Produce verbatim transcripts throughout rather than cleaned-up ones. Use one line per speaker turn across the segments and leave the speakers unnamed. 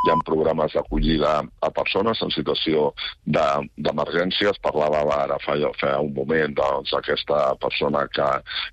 hi ha programes d'acollida a persones en situació d'emergència. Es parlava ara fa, fa un moment doncs, aquesta persona que,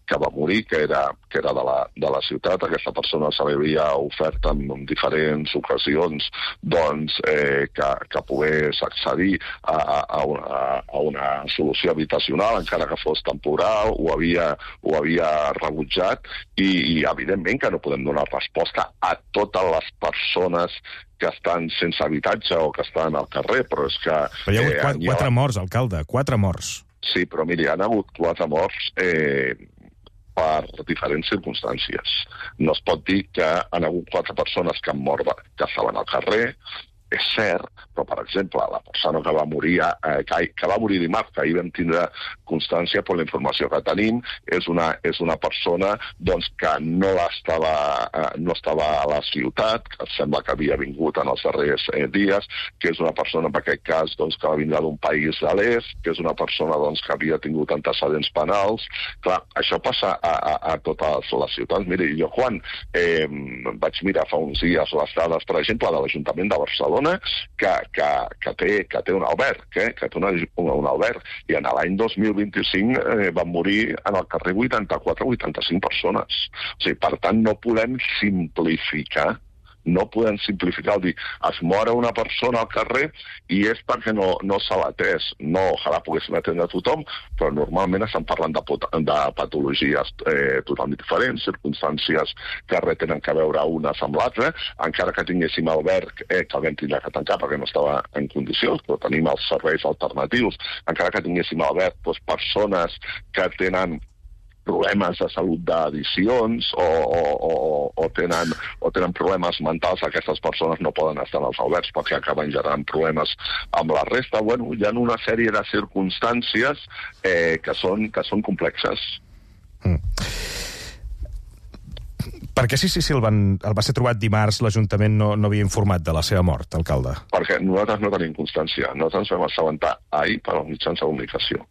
que va morir, que era, que era de, la, de la ciutat. Aquesta persona se li havia ofert en, en diferents ocasions doncs, eh, que, que pogués accedir a, a, una, a una solució habitacional, encara que fos temporal, ho havia, ho havia rebutjat i, i evidentment que no podem donar resposta a totes les persones que estan sense habitatge o que estan al carrer, però és que...
Però hi ha hagut eh, quatre, quatre morts, alcalde, quatre morts.
Sí, però miri, hi ha hagut quatre morts eh, per diferents circumstàncies. No es pot dir que han hagut quatre persones que han mort, que estaven al carrer, és cert, però, per exemple, la persona que va morir, eh, que, que va morir dimarts, que ahir vam tindre constància per la informació que tenim, és una, és una persona doncs, que no estava, eh, no estava a la ciutat, que sembla que havia vingut en els darrers eh, dies, que és una persona, en aquest cas, doncs, que va vindre d'un país de l'est, que és una persona doncs, que havia tingut antecedents penals. Clar, això passa a, a, a totes les ciutats. Miri, jo quan eh, vaig mirar fa uns dies les dades, per exemple, de l'Ajuntament de Barcelona, que, que, que, té, que té un alberg, eh? que té una, un, un alberg, i en l'any dos mil vint-i-cinc eh, van morir en el carrer vuitanta-quatre vuitanta-cinc persones. O sigui, per tant, no podem simplificar no podem simplificar el dir es mora una persona al carrer i és perquè no, no se l'ha atès. No, ojalà poguéssim atendre a tothom, però normalment estem parlant de, de patologies eh, totalment diferents, circumstàncies que res tenen que veure unes amb l'altra, encara que tinguéssim alberg eh, que el vam tindre que tancar perquè no estava en condicions, però tenim els serveis alternatius, encara que tinguéssim alberg, doncs persones que tenen problemes de salut d'addiccions o, o, o, o, tenen, o tenen problemes mentals, aquestes persones no poden estar en els albergs perquè acaben generant problemes amb la resta. Bueno, hi ha una sèrie de circumstàncies eh, que, són, que són complexes.
Mm. Per què si Sicília el, van, el va ser trobat dimarts l'Ajuntament no, no havia informat de la seva mort, alcalde?
Perquè nosaltres no tenim constància. Nosaltres ens vam assabentar ahir per als mitjans de comunicació.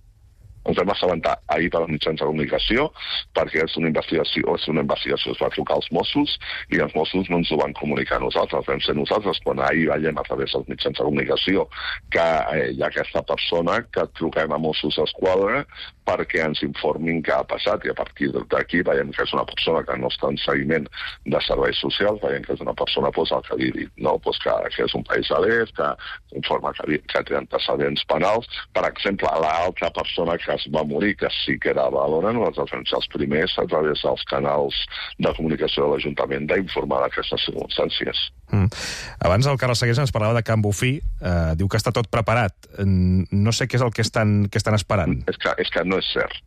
Ens vam assabentar ahir per als mitjans de comunicació perquè és una investigació, és una investigació, es va trucar als Mossos i els Mossos no ens ho van comunicar a nosaltres. Vam ser nosaltres quan ahir veiem a través dels mitjans de comunicació que eh, hi ha aquesta persona que truquem a Mossos d'Esquadra perquè ens informin què ha passat i a partir d'aquí veiem que és una persona que no està en seguiment de serveis socials, veiem que és una persona pues, el que havia dit, no? pues que, que és un país a l'est, que informa que, que té antecedents penals. Per exemple, l'altra persona que es va morir, que sí que era a Badalona, nosaltres vam ser els primers a través dels canals de comunicació de l'Ajuntament d'informar d'aquestes circumstàncies.
Mm. Abans el Carles Segués ens parlava de Can Bofí, eh, diu que està tot preparat. No sé què és el que estan, que estan esperant.
És que, és que no és cert.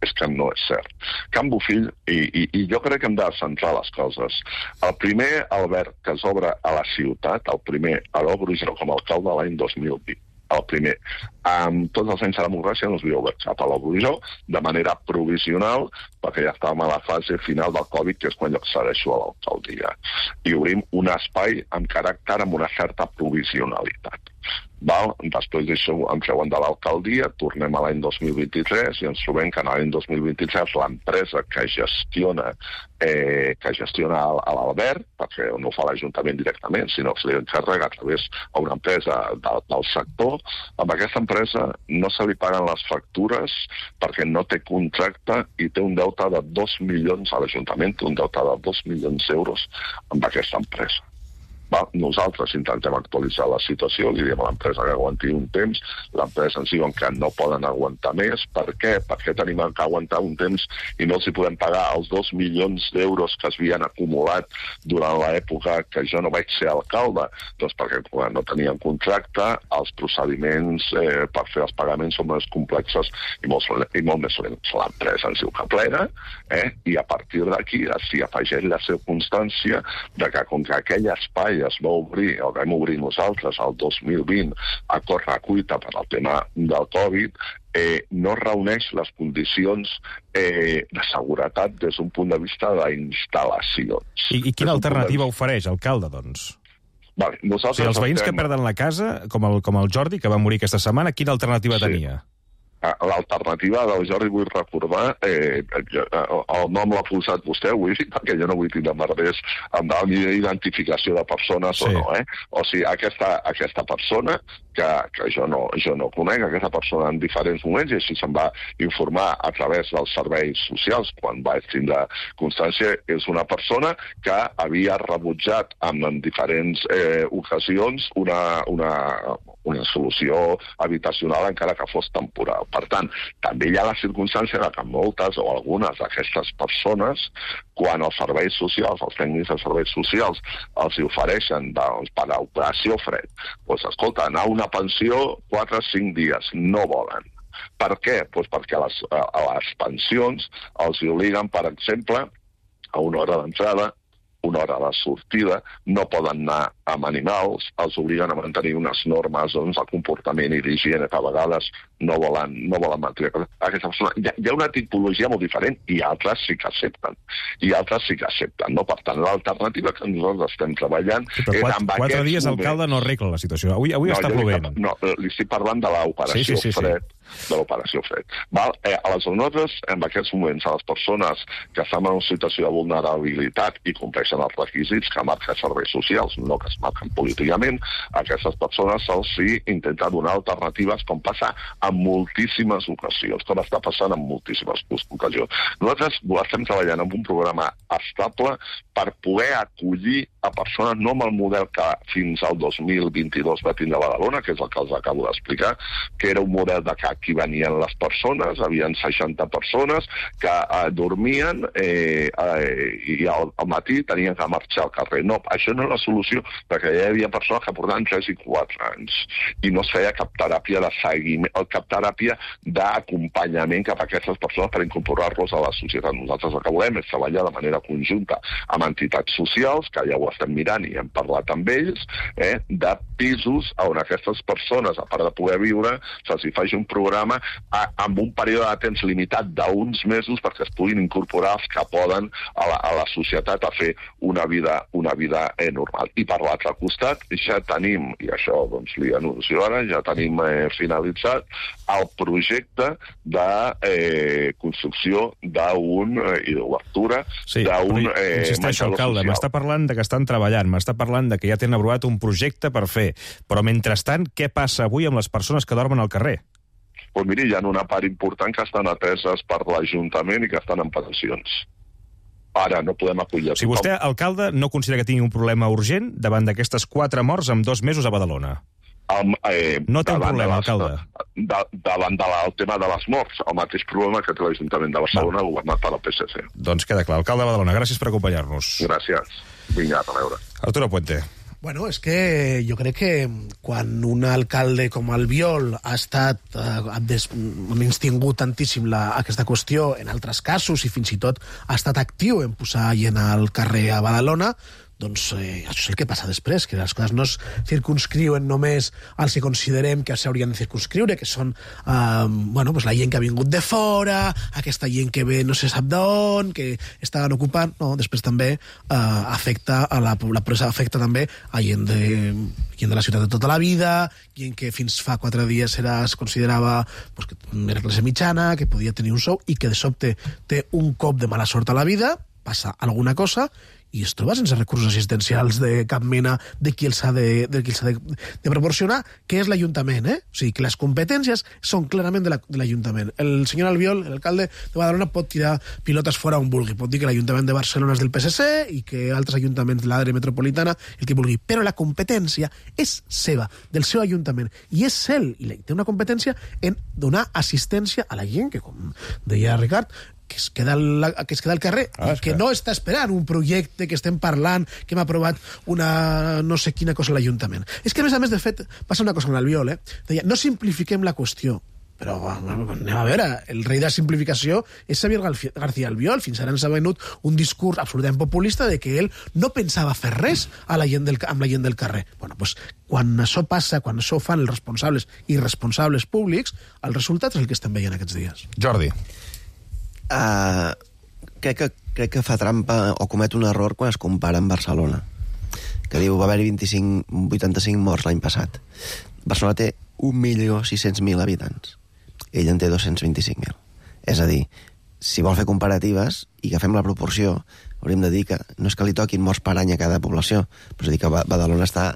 És que no és cert. Can Bofill, i, i, i jo crec que hem de centrar les coses. El primer alberg que s'obre a la ciutat, el primer a l'Obrugero com a alcalde l'any dos mil vint, el primer. Amb tots els anys de democràcia no es havia obert cap a l'Obrugero de manera provisional perquè ja estàvem a la fase final del Covid, que és quan jo accedeixo a l'alcaldia. I obrim un espai amb caràcter amb una certa provisionalitat. Val? Després d'això em treuen de l'alcaldia, tornem a l'any dos mil vint-i-tres i ens trobem que en l'any dos mil vint-i-tres l'empresa que gestiona eh, que gestiona l'alberg, perquè no ho fa l'Ajuntament directament, sinó que se li encarrega a través d'una empresa del, del sector, amb aquesta empresa no se li paguen les factures perquè no té contracte i té un deute de dos milions a l'Ajuntament, té un deute de dos milions d'euros amb aquesta empresa. Va, nosaltres intentem actualitzar la situació, li diem a l'empresa que aguanti un temps, l'empresa ens diuen que no poden aguantar més. Per què? Perquè tenim que aguantar un temps i no els hi podem pagar els dos milions d'euros que es havien acumulat durant l'època que jo no vaig ser alcalde. Doncs perquè quan no teníem contracte, els procediments eh, per fer els pagaments són més complexes i molt, i molt més lents. L'empresa ens diu que plena, eh, i a partir d'aquí s'hi afegeix la circumstància de que com que aquell espai es va obrir, el vam obrir nosaltres el dos mil vint a correcuita per al tema del Covid, eh, no reuneix les condicions eh, de seguretat des d'un punt de vista d'instal·lacions.
I, i quina alternativa de... ofereix, alcalde, doncs?
Vale, nosaltres
o sigui, els veïns
estem...
que perden la casa, com el, com el Jordi, que va morir aquesta setmana, quina alternativa sí. tenia?
l'alternativa del Jordi, vull recordar, eh, el nom l'ha posat vostè avui, perquè jo no vull tindre merders amb la identificació de persones sí. o no, eh? O sigui, aquesta, aquesta persona, que, que jo, no, jo no conec, aquesta persona en diferents moments, i així se'n va informar a través dels serveis socials, quan va tindre constància, és una persona que havia rebutjat en, en diferents eh, ocasions una, una, una solució habitacional, encara que fos temporal. Per tant, també hi ha la circumstància que moltes o algunes d'aquestes persones, quan els serveis socials, els tècnics de serveis socials, els ofereixen doncs, per a operació fred, doncs, escolta, anar a una pensió quatre o cinc dies, no volen. Per què? Doncs perquè a les, a les pensions els obliguen, per exemple, a una hora d'entrada, una hora de sortida, no poden anar amb animals, els obliguen a mantenir unes normes doncs, de comportament i d'higiene que a vegades no volen, no volen mantenir. Aquesta persona, hi, ha, hi ha una tipologia molt diferent i altres sí que accepten. I altres sí que accepten. No? Per tant, l'alternativa que nosaltres estem treballant
sí, és
quatre,
amb quatre dies moments... alcalde no arregla la situació. Avui, avui no, està plovent.
No, li estic parlant de l'operació sí, sí, sí, fred. Sí. de l'operació fred. Val? Eh, aleshores, nosaltres, en aquests moments, a les persones que estan en una situació de vulnerabilitat i compleixen els requisits que marquen serveis socials, no que es marquen políticament, a aquestes persones se'ls sí intenta donar alternatives, com passa en moltíssimes ocasions, com està passant en moltíssimes ocasions. Nosaltres estem treballant en un programa estable per poder acollir a persones, no amb el model que fins al dos mil vint-i-dos va tindre Badalona, que és el que els acabo d'explicar, que era un model de que aquí venien les persones, havien seixanta persones que eh, dormien eh, eh, i al, al matí tenien que marxar al carrer. No, això no és la solució, perquè hi havia persones que portaven tres i quatre anys i no es feia cap teràpia de seguiment, o cap teràpia d'acompanyament cap a aquestes persones per incorporar-los a la societat. Nosaltres el que volem és treballar de manera conjunta amb entitats socials, que ja ho estem mirant i hem parlat amb ells, eh, de pisos on aquestes persones, a part de poder viure, se'ls hi faci un programa a, amb un període de temps limitat d'uns mesos perquè es puguin incorporar els que poden a la, a la societat a fer una vida, una vida eh, normal. I per l'altre costat ja tenim, i això doncs li anuncio ara, ja tenim eh, finalitzat el projecte de eh, construcció d'un, eh, i d'obertura
sí,
d'un
eh, insisteixo, alcalde, m'està parlant de que estan treballant, m'està parlant de que ja tenen aprovat un projecte per fer, però mentrestant, què passa avui amb les persones que dormen al carrer?
Doncs miri, hi ha una part important que estan ateses per l'Ajuntament i que estan en pensions. Ara no podem acollir...
Si vostè, alcalde, no considera que tingui un problema urgent davant d'aquestes quatre morts en dos mesos a Badalona?
Um, eh,
no té un problema,
les,
alcalde.
De, davant del tema de les morts, el mateix problema que té l'Ajuntament de Barcelona, no. governat per la P S C.
Doncs queda clar. Alcalde de Badalona, gràcies per acompanyar-nos.
Gràcies. Vinga, a veure.
Arturo Puente.
Bueno, és que jo crec que quan un alcalde com Albiol ha estat, eh, ha des, menystingut tantíssim la, aquesta qüestió en altres casos i fins i tot ha estat actiu en posar gent al carrer a Badalona, doncs eh, això és el que passa després, que les coses no es circunscriuen només als que considerem que s'haurien de circunscriure, que són eh, bueno, pues la gent que ha vingut de fora, aquesta gent que ve no se sap d'on, que estaven ocupant, no, després també eh, afecta a la, la presa afecta també a gent de, gent de la ciutat de tota la vida, gent que fins fa quatre dies era, es considerava pues, que era classe mitjana, que podia tenir un sou i que de sobte té un cop de mala sort a la vida, passa alguna cosa i es troba sense recursos assistencials de cap mena de qui els ha de, de, qui els ha de, de proporcionar, que és l'Ajuntament, eh? O sigui, que les competències són clarament de l'Ajuntament. La, el senyor Albiol, l'alcalde de Badalona, pot tirar pilotes fora on vulgui, pot dir que l'Ajuntament de Barcelona és del P S C i que altres ajuntaments de l'àrea metropolitana, el que vulgui, però la competència és seva, del seu Ajuntament, i és ell, i té una competència en donar assistència a la gent que, com deia Ricard, que es queda al, que es queda al carrer ah, i que no està esperant un projecte que estem parlant, que hem aprovat una no sé quina cosa a l'Ajuntament. És que, a més a més, de fet, passa una cosa amb l'Albiol, eh? Deia, no simplifiquem la qüestió, però anem a veure, el rei de la simplificació és Xavier García Albiol. Fins ara ens ha venut un discurs absolutament populista de que ell no pensava fer res a la gent del, amb la gent del carrer. Bueno, doncs, quan això passa, quan això ho fan els responsables i responsables públics, el resultat és el que estem veient aquests dies.
Jordi.
Uh, crec, que, crec que fa trampa o comet un error quan es compara amb Barcelona, que diu va haver-hi vuitanta-cinc morts l'any passat. Barcelona té un milió sis-cents mil habitants ell en té dos-cents vint-i-cinc mil. És a dir, si vol fer comparatives i que fem la proporció, hauríem de dir que no és que li toquin morts per any a cada població, però és a dir que Badalona està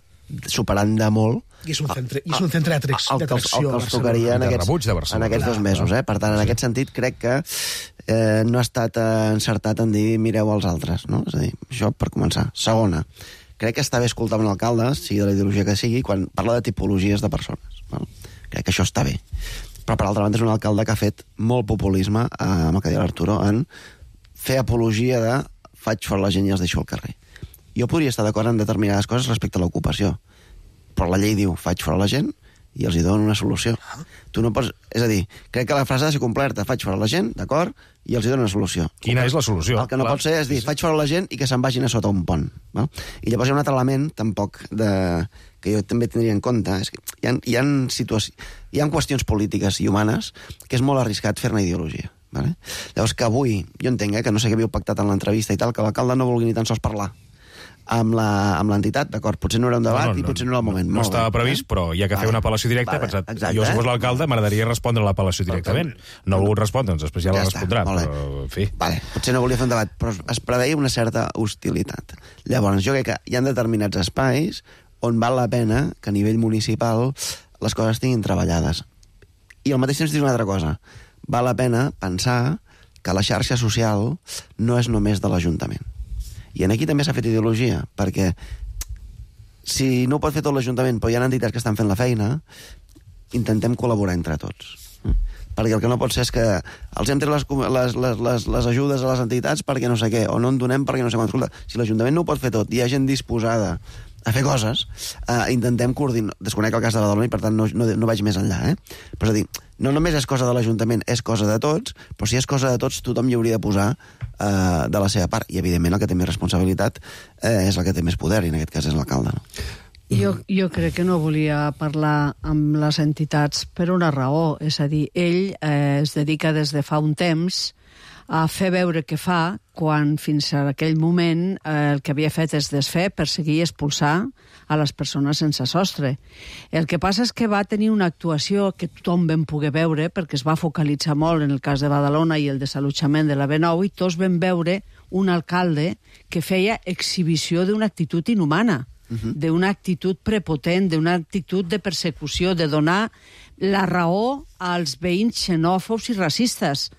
superant de molt
i és un centre, i és un centre d'atracció
el, el, el, el que els tocaria en aquests, en aquests dos mesos. Eh? Per tant, en aquest sentit, crec que eh, no ha estat encertat en dir mireu als altres. No? És a dir, això per començar. Segona, crec que està bé escoltar un alcalde, sigui de la ideologia que sigui, quan parla de tipologies de persones. No? Crec que això està bé. Però, per altra banda, és un alcalde que ha fet molt populisme, eh, amb el que deia l'Arturo, en fer apologia de faig fora la gent i els deixo al carrer. Jo podria estar d'acord en determinades coses respecte a l'ocupació, però la llei diu faig fora la gent i els hi dono una solució. Tu no pots... És a dir, crec que la frase ha de ser completa. Faig fora la gent, d'acord, i els hi dono una solució.
Quina és la solució?
El que no Clar. pot ser és dir faig fora la gent i que se'n vagin a sota un pont. No? I llavors hi ha un altre element, tampoc, de... que jo també tindria en compte. És que hi ha, hi ha, situaci... hi ha qüestions polítiques i humanes que és molt arriscat fer-ne ideologia. Vale? Llavors que avui, jo entenc eh, que no sé què havíeu pactat en l'entrevista i tal, que l'alcalde no vulgui ni tan sols parlar amb l'entitat, d'acord, potser no era un debat no, no, i potser no era el moment.
No, no estava previst, eh? Però hi ha que fer una apel·lació directa. Vale, pensat, exacte, jo, si fos l'alcalde, m'agradaria respondre a l'apel·lació directament. No ha volgut respondre, doncs després ja, ja la respondrà. Està, però, en fi.
Vale, potser no volia fer un debat, però es preveia una certa hostilitat. Llavors, jo crec que hi ha determinats espais on val la pena que a nivell municipal les coses estiguin treballades. I al mateix temps dic una altra cosa. Val la pena pensar que la xarxa social no és només de l'Ajuntament. I en aquí també s'ha fet ideologia, perquè si no ho pot fer tot l'Ajuntament, però hi ha entitats que estan fent la feina, intentem col·laborar entre tots. Perquè el que no pot ser és que els hem tret les, les, les, les, les ajudes a les entitats perquè no sé què, o no en donem perquè no sé quant. Escolta, si l'Ajuntament no ho pot fer tot, hi ha gent disposada a fer coses, eh, intentem coordinar. Desconec el cas de Badalona i, per tant, no, no, no vaig més enllà. Eh? Però és a dir, no només és cosa de l'Ajuntament, és cosa de tots, però si és cosa de tots, tothom hi hauria de posar eh, de la seva part. I, evidentment, el que té més responsabilitat eh, és el que té més poder, i en aquest cas és l'alcalde. No?
Jo, jo crec que no volia parlar amb les entitats per una raó. És a dir, ell eh, es dedica des de fa un temps a fer veure què fa, quan fins a aquell moment eh, el que havia fet és desfer, perseguir i expulsar a les persones sense sostre. El que passa és que va tenir una actuació que tothom vam poder veure, perquè es va focalitzar molt en el cas de Badalona i el desallotjament de la B nou, i tots vam veure un alcalde que feia exhibició d'una actitud inhumana, uh-huh. d'una actitud prepotent, d'una actitud de persecució, de donar la raó als veïns xenòfobs i racistes.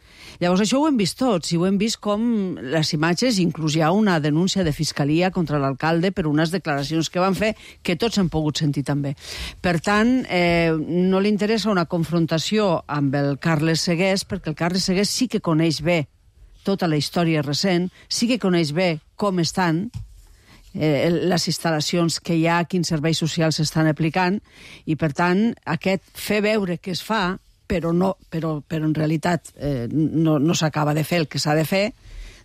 Llavors, això ho hem vist tots, i ho hem vist com les imatges, inclús hi ha una denúncia de fiscalia contra l'alcalde per unes declaracions que van fer, que tots hem pogut sentir també. Per tant, eh, no li interessa una confrontació amb el Carles Segués, perquè el Carles Segués sí que coneix bé tota la història recent, sí que coneix bé com estan eh, les instal·lacions que hi ha, quins serveis socials s'estan aplicant, i per tant, aquest fer veure que es fa, però, no, però, però en realitat eh, no, no s'acaba de fer el que s'ha de fer,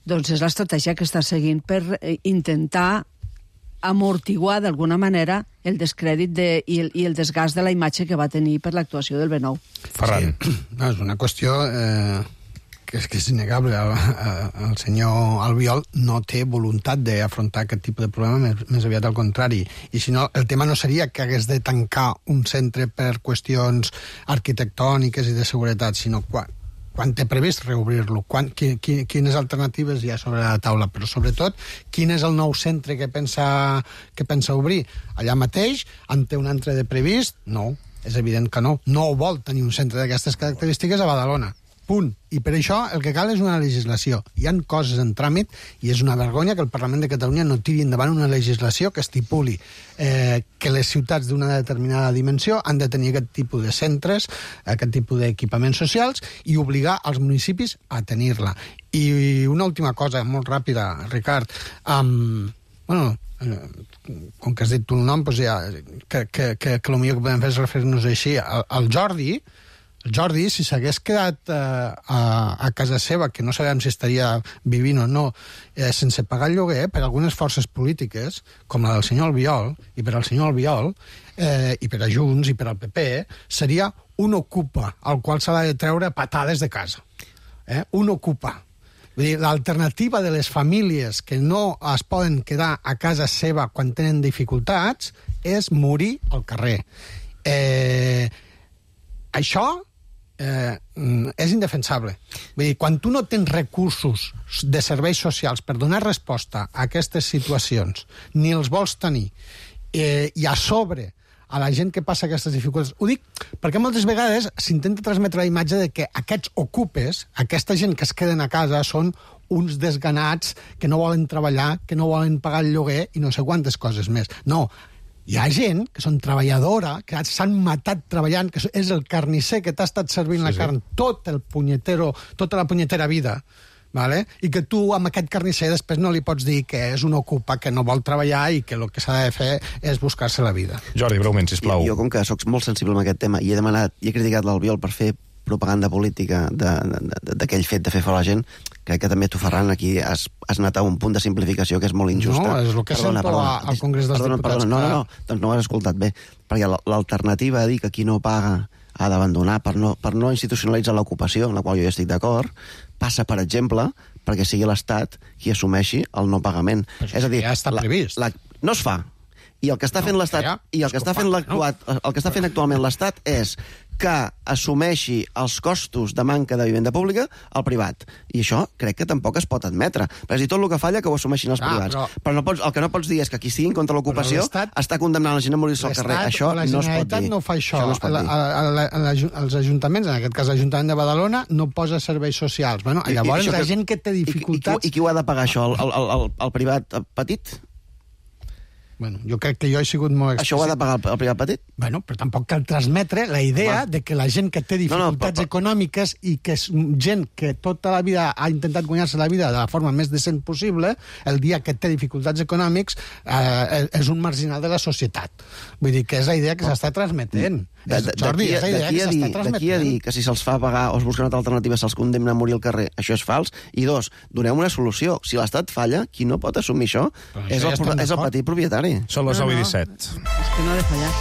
doncs és l'estratègia que està seguint per eh, intentar amortiguar d'alguna manera el descrèdit de, i, el, i el desgast de la imatge que va tenir per l'actuació del B nou.
Ferran.
Sí. No, és una qüestió eh, que és, que és innegable. El, el senyor Albiol no té voluntat d'afrontar aquest tipus de problema, més, més aviat al contrari. I si no, el tema no seria que hagués de tancar un centre per qüestions arquitectòniques i de seguretat, sinó quan, quan té previst reobrir-lo, quan, qui, qui, quines alternatives hi ha sobre la taula, però sobretot quin és el nou centre que pensa, que pensa obrir. Allà mateix, en té un altre de previst? No, és evident que no. No vol tenir un centre d'aquestes característiques a Badalona. Punt. I per això el que cal és una legislació. Hi ha coses en tràmit i és una vergonya que el Parlament de Catalunya no tiri endavant una legislació que estipuli eh, que les ciutats d'una determinada dimensió han de tenir aquest tipus de centres, aquest tipus d'equipaments socials, i obligar els municipis a tenir-la. I una última cosa, molt ràpida, Ricard. Um, bueno, com que has dit tu el nom, doncs ja, que, que, que, que el millor que podem fer és referir-nos així. El, el Jordi... El Jordi, si s'hagués quedat eh, a, a casa seva, que no sabem si estaria vivint o no, eh, sense pagar el lloguer, per algunes forces polítiques, com la del senyor Albiol, i per al senyor Albiol, eh, i per a Junts, i per al P P, seria un ocupa, al qual s'ha de treure patades de casa. Eh? Un ocupa. Vull dir, l'alternativa de les famílies que no es poden quedar a casa seva quan tenen dificultats és morir al carrer. Eh, això eh, és indefensable. Vull dir, quan tu no tens recursos de serveis socials per donar resposta a aquestes situacions, ni els vols tenir, eh, i a sobre a la gent que passa aquestes dificultats. Ho dic perquè moltes vegades s'intenta transmetre la imatge de que aquests ocupes, aquesta gent que es queden a casa, són uns desganats que no volen treballar, que no volen pagar el lloguer i no sé quantes coses més. No, hi ha gent que són treballadora, que s'han matat treballant, que és el carnisser que t'ha estat servint sí, la carn sí. tot el punyetero, tota la punyetera vida, vale? I que tu amb aquest carnisser després no li pots dir que és un ocupa que no vol treballar i que el que s'ha de fer és buscar-se la vida.
Jordi, breument, sisplau.
Jo, com que soc molt sensible amb aquest tema i he demanat i he criticat l'Albiol per fer propaganda política d'aquell fet de fer fora la gent, crec que també tu, Ferran, aquí has, has anat a un punt de simplificació que és molt injusta.
No, és el que perdona, sento perdona, al Congrés dels perdona, Diputats.
Perdona, no, no, no, doncs no ho has escoltat bé, perquè l'alternativa a dir que qui no paga ha d'abandonar per no, per no institucionalitzar l'ocupació, en la qual jo ja estic d'acord, passa, per exemple, perquè sigui l'Estat qui assumeixi el no pagament.
Però és a dir, ja està la, previst.
La, no es fa. I el que està fent no, l'Estat, ja, i el que està fent l'actuat, no? el que està fent actualment l'Estat és que assumeixi els costos de manca de vivenda pública al privat. I això crec que tampoc es pot admetre. Perquè és dir, tot el que falla que ho assumeixin els ah, privats. Però, però no pots, el que no pots dir és que qui estigui en contra de l'ocupació està condemnant la gent a morir-se al carrer. Això no es pot dir.
La Generalitat no fa això. això no la, a, a, a, els ajuntaments, en aquest cas l'Ajuntament de Badalona, no posa serveis socials. Bueno, I, llavors i la que, gent que té dificultats...
I, i, i qui ho ha de pagar, això? El, el, el, el privat petit?
Bueno, jo crec que jo he sigut molt explícit.
Això ho ha de pagar el, el privat petit?
Bueno, però tampoc cal transmetre la idea Va. de que la gent que té dificultats no, no, però, econòmiques i que és gent que tota la vida ha intentat guanyar-se la vida de la forma més decent possible, el dia que té dificultats econòmics eh, és un marginal de la societat. Vull dir que és la idea que s'està transmetent.
De, de, Jordi, és la idea que s'està transmetent. D'aquí a dir que si se'ls fa pagar o es busca una altra alternativa se'ls condemna a morir al carrer, això és fals. I dos, doneu una solució. Si l'Estat falla, qui no pot assumir això és el, ja és el petit propietari.
Són les nou i disset.
És que no ha de fallar.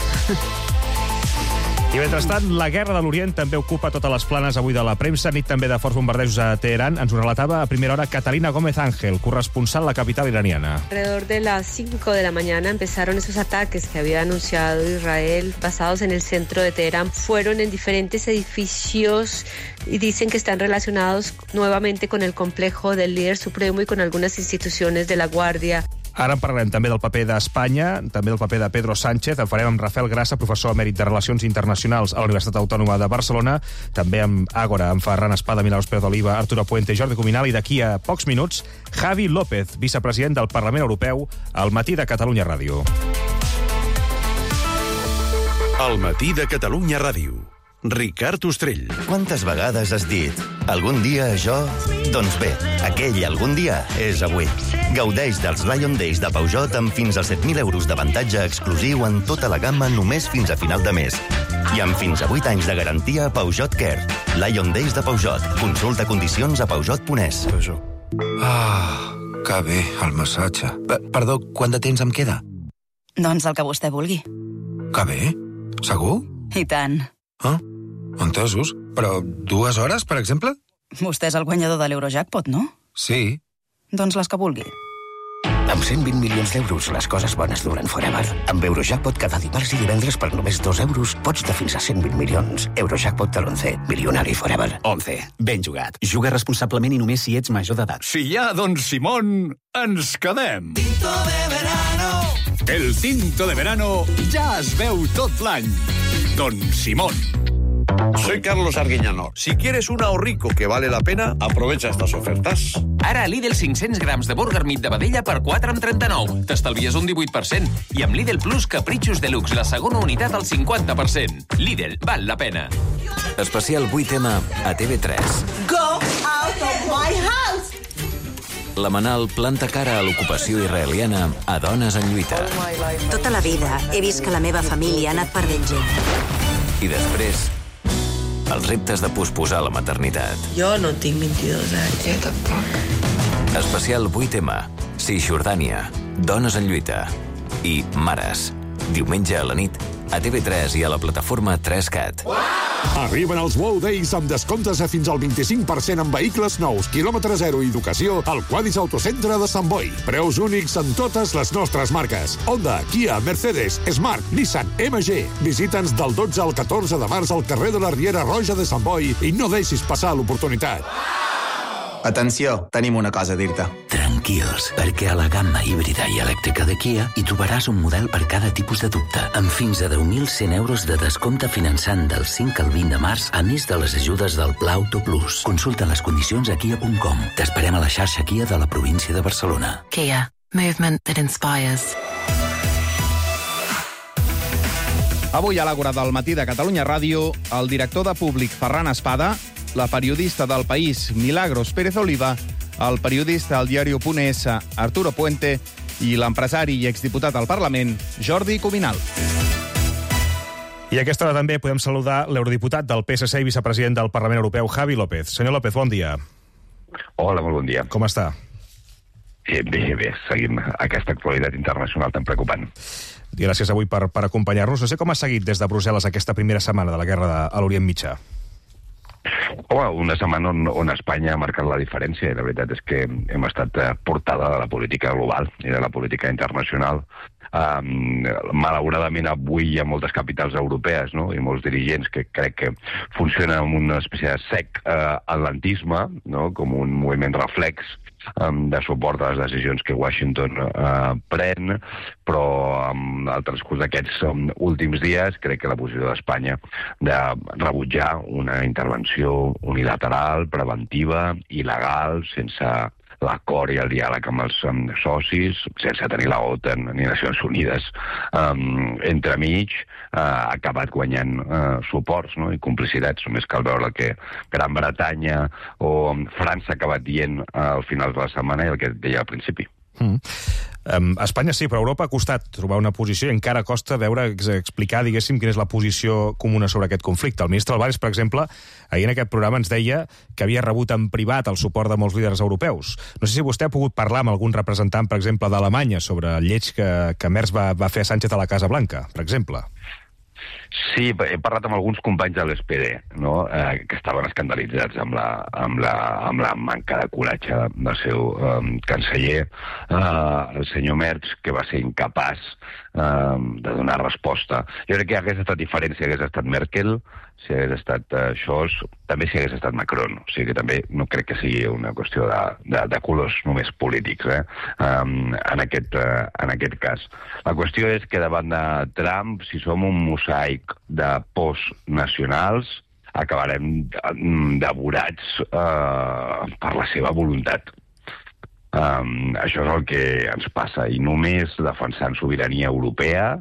I mentrestant, la guerra de l'Orient també ocupa totes les planes avui de la premsa, nit també de forts bombardejos a Teherán. Ens ho relatava a primera hora Catalina Gómez Ángel, corresponsal a la capital iraniana.
Alrededor de las cinco de la mañana empezaron esos ataques que había anunciado Israel basados en el centro de Teherán. Fueron en diferentes edificios y dicen que están relacionados nuevamente con el complejo del líder supremo y con algunas instituciones de la Guardia.
Ara en parlarem també del paper d'Espanya, també del paper de Pedro Sánchez. En farem amb Rafael Grassa, professor emèrit de Relacions Internacionals a la Universitat Autònoma de Barcelona, també amb Àgora, amb Ferran Espada, Milagros Pérez d'Oliva, Arturo Puente i Jordi Cuminal, i d'aquí a pocs minuts, Javi López, vicepresident del Parlament Europeu, al Matí de Catalunya Ràdio.
Al Matí de Catalunya Ràdio. Ricard Ostrell.
Quantes vegades has dit algun dia això? Doncs bé, aquell algun dia és avui. Gaudeix dels Lion Days de Peugeot amb fins a set mil euros d'avantatge exclusiu en tota la gamma només fins a final de mes. I amb fins a vuit anys de garantia a Peugeot Care. Lion Days de Peugeot. Consulta condicions a peugeot punt es.
Ah, que bé, el massatge. Perdó, quant de temps em queda?
Doncs el que vostè vulgui.
Que bé? Segur?
I tant.
Ah, entesos. Però dues hores, per exemple?
Vostè és el guanyador de l'Eurojackpot, no?
Sí.
Doncs les que vulgui.
Amb cent vint milions d'euros, les coses bones duren forever. Amb Eurojackpot cada dimarts i divendres per només dos euros pots de fins a cent vint milions. Eurojackpot de l'onze. Milionari forever.
onze. Ben jugat. Juga responsablement i només si ets major d'edat.
Si hi ha Don Simón, ens quedem.
Tinto de verano.
El tinto de verano ja es veu tot l'any. Don Simón.
Soy Carlos Arguiñano. Si quieres un ahorrico que vale la pena, aprovecha estas ofertas.
Ara a Lidl cinc-cents grams de burger meat de vedella per quatre coma trenta-nou. T'estalvies un divuit per cent. I amb Lidl Plus Capritxos Deluxe, la segona unitat al cinquanta per cent. Lidl, val la pena.
Especial vuit ema a T V tres.
Go out of my house!
La Manal planta cara a l'ocupació israeliana a Dones en lluita.
Tota la vida he vist que la meva família ha anat perdent gent.
I després, els reptes de posposar la maternitat.
Jo no tinc vint-i-dos anys. Jo tampoc.
Especial vuit ema, Cisjordània, Dones en lluita i Mares. Diumenge a la nit, a T V tres i a la plataforma tres cat.
Wow!
Arriben els Wow Days amb descomptes a fins al vint-i-cinc per cent en vehicles nous, quilòmetre zero i educació al Quadis Autocentre de Sant Boi. Preus únics en totes les nostres marques. Honda, Kia, Mercedes, Smart, Nissan, M G. Visita'ns del dotze al catorze de març al carrer de la Riera Roja de Sant Boi i no deixis passar l'oportunitat.
Atenció, tenim una cosa a dir-te.
Tranquils, perquè a la gamma híbrida i elèctrica de Kia hi trobaràs un model per cada tipus de dubte, amb fins a deu mil cent euros de descompte finançant del cinc al vint de març, a més de les ajudes del Pla Auto Plus. Consulta les condicions a kia punt com. T'esperem a la xarxa Kia de la província de Barcelona.
Kia. Movement that inspires.
Avui a l'Àgora del matí de Catalunya Ràdio, el director de Públic, Ferran Espada, la periodista del País, Milagros Pérez Oliva, el periodista al diario.es, Arturo Puente, i l'empresari i exdiputat al Parlament, Jordi Cuminal.
I a aquesta hora també podem saludar l'eurodiputat del P S C i vicepresident del Parlament Europeu, Javi López. Senyor López, bon dia.
Hola, molt bon dia.
Com està?
Bé, bé, bé. Seguim aquesta actualitat internacional tan preocupant.
I gràcies avui per, per acompanyar-nos. No sé com ha seguit des de Brussel·les aquesta primera setmana de la guerra de, a l'Orient Mitjà.
Home, una setmana on, on Espanya ha marcat la diferència i la veritat és que hem estat portada de la política global i de la política internacional. Um, malauradament avui hi ha moltes capitals europees, no? I molts dirigents que crec que funcionen amb una espècie de sec uh, atlantisme, no? Com un moviment reflex um, de suport a les decisions que Washington uh, pren, però en el transcurs d'aquests um, últims dies crec que la posició d'Espanya de rebutjar una intervenció unilateral, preventiva, il·legal, sense l'acord i el diàleg amb els um, socis, sense tenir la OTAN ni Nacions Unides um, entremig, uh, ha acabat guanyant uh, suports, no? I complicitats. Només cal veure que Gran Bretanya o um, França ha acabat dient uh, al final de la setmana i el que deia al principi.
Mm. Um, Espanya sí, però Europa ha costat trobar una posició i encara costa veure, explicar, diguéssim, quina és la posició comuna sobre aquest conflicte. El ministre Álvarez, per exemple, ahir en aquest programa ens deia que havia rebut en privat el suport de molts líders europeus. No sé si vostè ha pogut parlar amb algun representant, per exemple, d'Alemanya sobre el lleig que, que Merz va, va fer a Sánchez a la Casa Blanca, per exemple.
Sí, he parlat amb alguns companys de l'S P D, no? eh, que estaven escandalitzats amb la, amb la, amb la manca de coratge del seu eh, canceller, eh, el senyor Merz, que va ser incapaç eh, de donar resposta. Jo crec que hagués estat diferent si hagués estat Merkel, si hagués estat uh, Scholz, també si hagués estat Macron. O sigui que també no crec que sigui una qüestió de, de, de colors només polítics, eh? um, en, aquest, uh, en aquest cas. La qüestió és que davant de Trump, si som un mosaic de postnacionals, acabarem devorats uh, per la seva voluntat. Um, això és el que ens passa, i només defensant sobirania europea,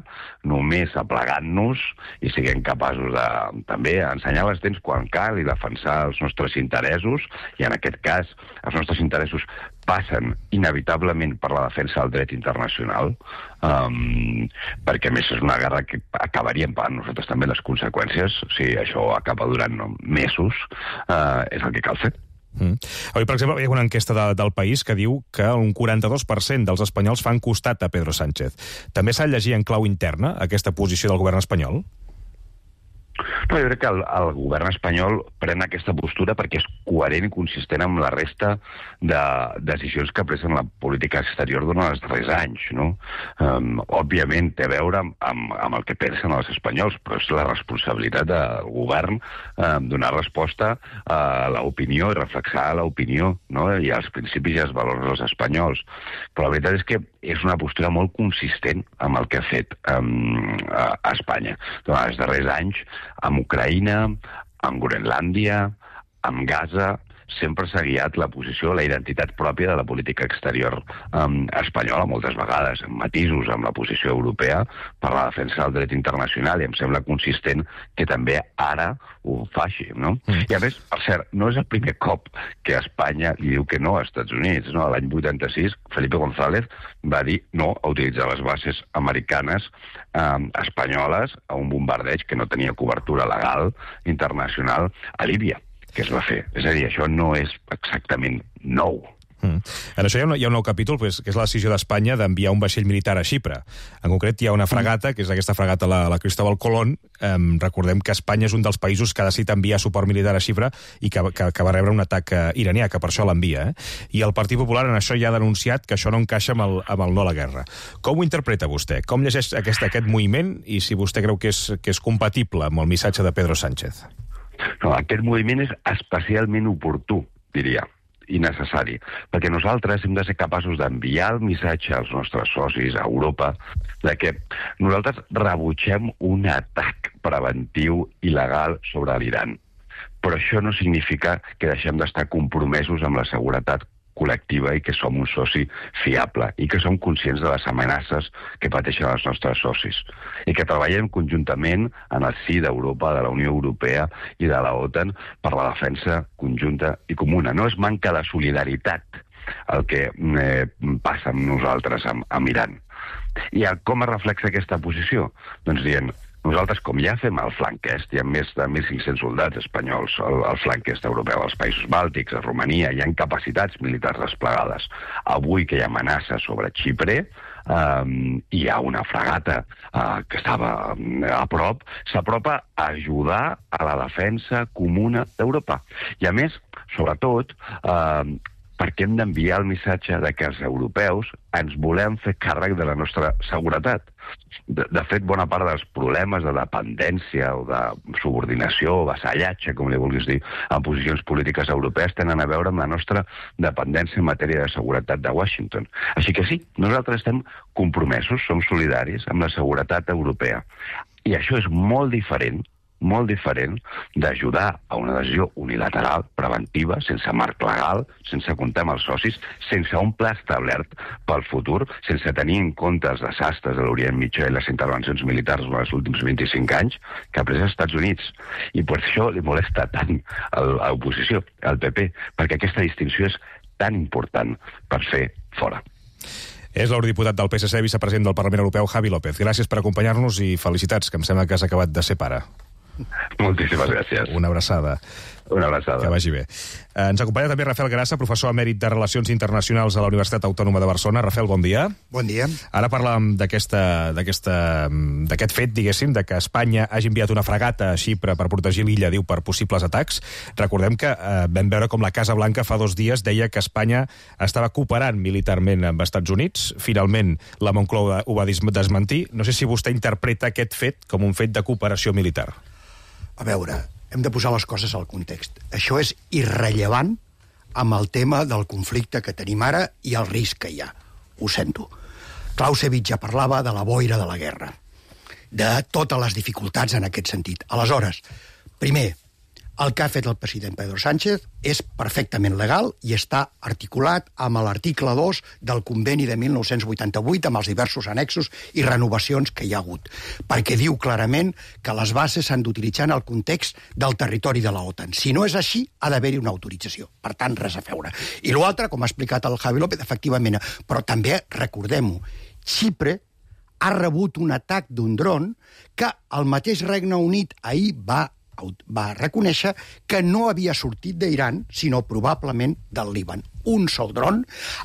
només aplegant-nos i siguem capaços de també ensenyar les dents quan cal i defensar els nostres interessos, i en aquest cas els nostres interessos passen inevitablement per la defensa del dret internacional, um, perquè a més és una guerra que acabaríem pagant nosaltres també les conseqüències. Si això acaba durant mesos, uh, és el que cal fer.
Mm. Avui, per exemple, hi ha una enquesta de, del País que diu que un quaranta-dos per cent dels espanyols fan costat a Pedro Sánchez. També s'ha de llegir en clau interna aquesta posició del govern espanyol?
No, jo crec que el, el govern espanyol pren aquesta postura perquè és coherent i consistent amb la resta de decisions que ha pres en la política exterior durant els darrers anys, no? Um, òbviament té a veure amb, amb, amb el que pensen els espanyols, però és la responsabilitat del govern um, donar resposta a l'opinió i reflexar l'opinió, no? I als principis i als valors dels espanyols. Però la veritat és que és una postura molt consistent amb el que ha fet um, a, a Espanya durant els darrers anys, amb Ucraïna, amb Groenlàndia, amb Gaza. Sempre s'ha guiat la posició, la identitat pròpia de la política exterior um, espanyola, moltes vegades, amb matisos amb la posició europea, per la defensa del dret internacional, i em sembla consistent que també ara ho faci, no? Mm. I a més, per cert, no és el primer cop que Espanya li diu que no als Estats Units, no? L'any vuitanta-sis, Felipe González va dir no a utilitzar les bases americanes um, espanyoles a un bombardeig que no tenia cobertura legal internacional a Líbia, que es va fer. És a dir, això no és exactament nou.
Mm. En això hi ha, un, hi ha un nou capítol, pues, que és la decisió d'Espanya d'enviar un vaixell militar a Xipre. En concret, hi ha una fragata, que és aquesta fragata, la, la Cristóbal Colón. Eh, recordem que Espanya és un dels països que ha decidit enviar suport militar a Xipre i que, que, que va rebre un atac eh, iranià, que per això l'envia. Eh? I el Partit Popular en això ja ha denunciat que això no encaixa amb el, amb el no a la guerra. Com ho interpreta vostè? Com llegeix aquest, aquest moviment i si vostè creu que és, que és compatible amb el missatge de Pedro Sánchez?
No, aquest moviment és especialment oportú, diria, i necessari, perquè nosaltres hem de ser capaços d'enviar el missatge als nostres socis a Europa de que nosaltres rebutgem un atac preventiu il·legal sobre l'Iran. Però això no significa que deixem d'estar compromesos amb la seguretat col·lectiva i que som un soci fiable i que som conscients de les amenaces que pateixen els nostres socis i que treballem conjuntament en el si d'Europa, de la Unió Europea i de la OTAN per la defensa conjunta i comuna. No és manca de solidaritat el que eh, passa amb nosaltres, amb, amb Iran. I com es reflexa aquesta posició? Doncs dient, nosaltres, com ja fem al flanc est, hi ha més de mil cinc-cents soldats espanyols al, al flanc est europeu, als països bàltics, a Romania, hi ha capacitats militars desplegades. Avui que hi ha amenaça sobre Xipre, um, hi ha una fragata uh, que estava um, a prop, s'apropa a ajudar a la defensa comuna d'Europa. I a més, sobretot, uh, perquè hem d'enviar el missatge de que els europeus ens volem fer càrrec de la nostra seguretat. De, de fet, bona part dels problemes de dependència o de subordinació o vassallatge, com li vulguis dir, en posicions polítiques europees tenen a veure amb la nostra dependència en matèria de seguretat de Washington. Així que sí, nosaltres estem compromesos, som solidaris amb la seguretat europea. I això és molt diferent molt diferent d'ajudar a una decisió unilateral, preventiva, sense marc legal, sense comptar amb els socis, sense un pla establert pel futur, sense tenir en compte els desastres de l'Orient Mitjà i les intervencions militars dels últims vint-i-cinc anys que ha pres els Estats Units. I per això li molesta tant a l'oposició, al P P, perquè aquesta distinció és tan important per fer fora.
És l'eurodiputat del P S C, vicepresident del Parlament Europeu, Javi López. Gràcies per acompanyar-nos i felicitats, que em sembla que has acabat de ser pare.
Moltíssimes gràcies.
Una abraçada.
Una abraçada.
Que vagi bé. Ens acompanya també Rafael Grassa, professor emèrit de Relacions Internacionals a la Universitat Autònoma de Barcelona. Rafael, bon dia.
Bon dia.
Ara parlàvem d'aquesta, d'aquesta, d'aquest fet, diguéssim, de que Espanya hagi enviat una fragata a Xipre per protegir l'illa, diu, per possibles atacs. Recordem que eh, vam veure com la Casa Blanca fa dos dies deia que Espanya estava cooperant militarment amb els Estats Units. Finalment, la Moncloa ho va desmentir. No sé si vostè interpreta aquest fet com un fet de cooperació militar.
A veure, hem de posar les coses al context. Això és irrellevant amb el tema del conflicte que tenim ara i el risc que hi ha. Ho sento. Clausewitz ja parlava de la boira de la guerra, de totes les dificultats en aquest sentit. Aleshores, primer, el que ha fet el president Pedro Sánchez és perfectament legal i està articulat amb l'article dos del conveni de mil nou-cents vuitanta-vuit amb els diversos annexos i renovacions que hi ha hagut, perquè diu clarament que les bases s'han d'utilitzar en el context del territori de la OTAN. Si no és així, ha d'haver-hi una autorització. Per tant, res a veure. I l'altre, com ha explicat el Javi López, efectivament, però també, recordem-ho, Xipre ha rebut un atac d'un dron que el mateix Regne Unit ahir va va reconèixer que no havia sortit d'Iran, sinó probablement del Líban. Un sol dron,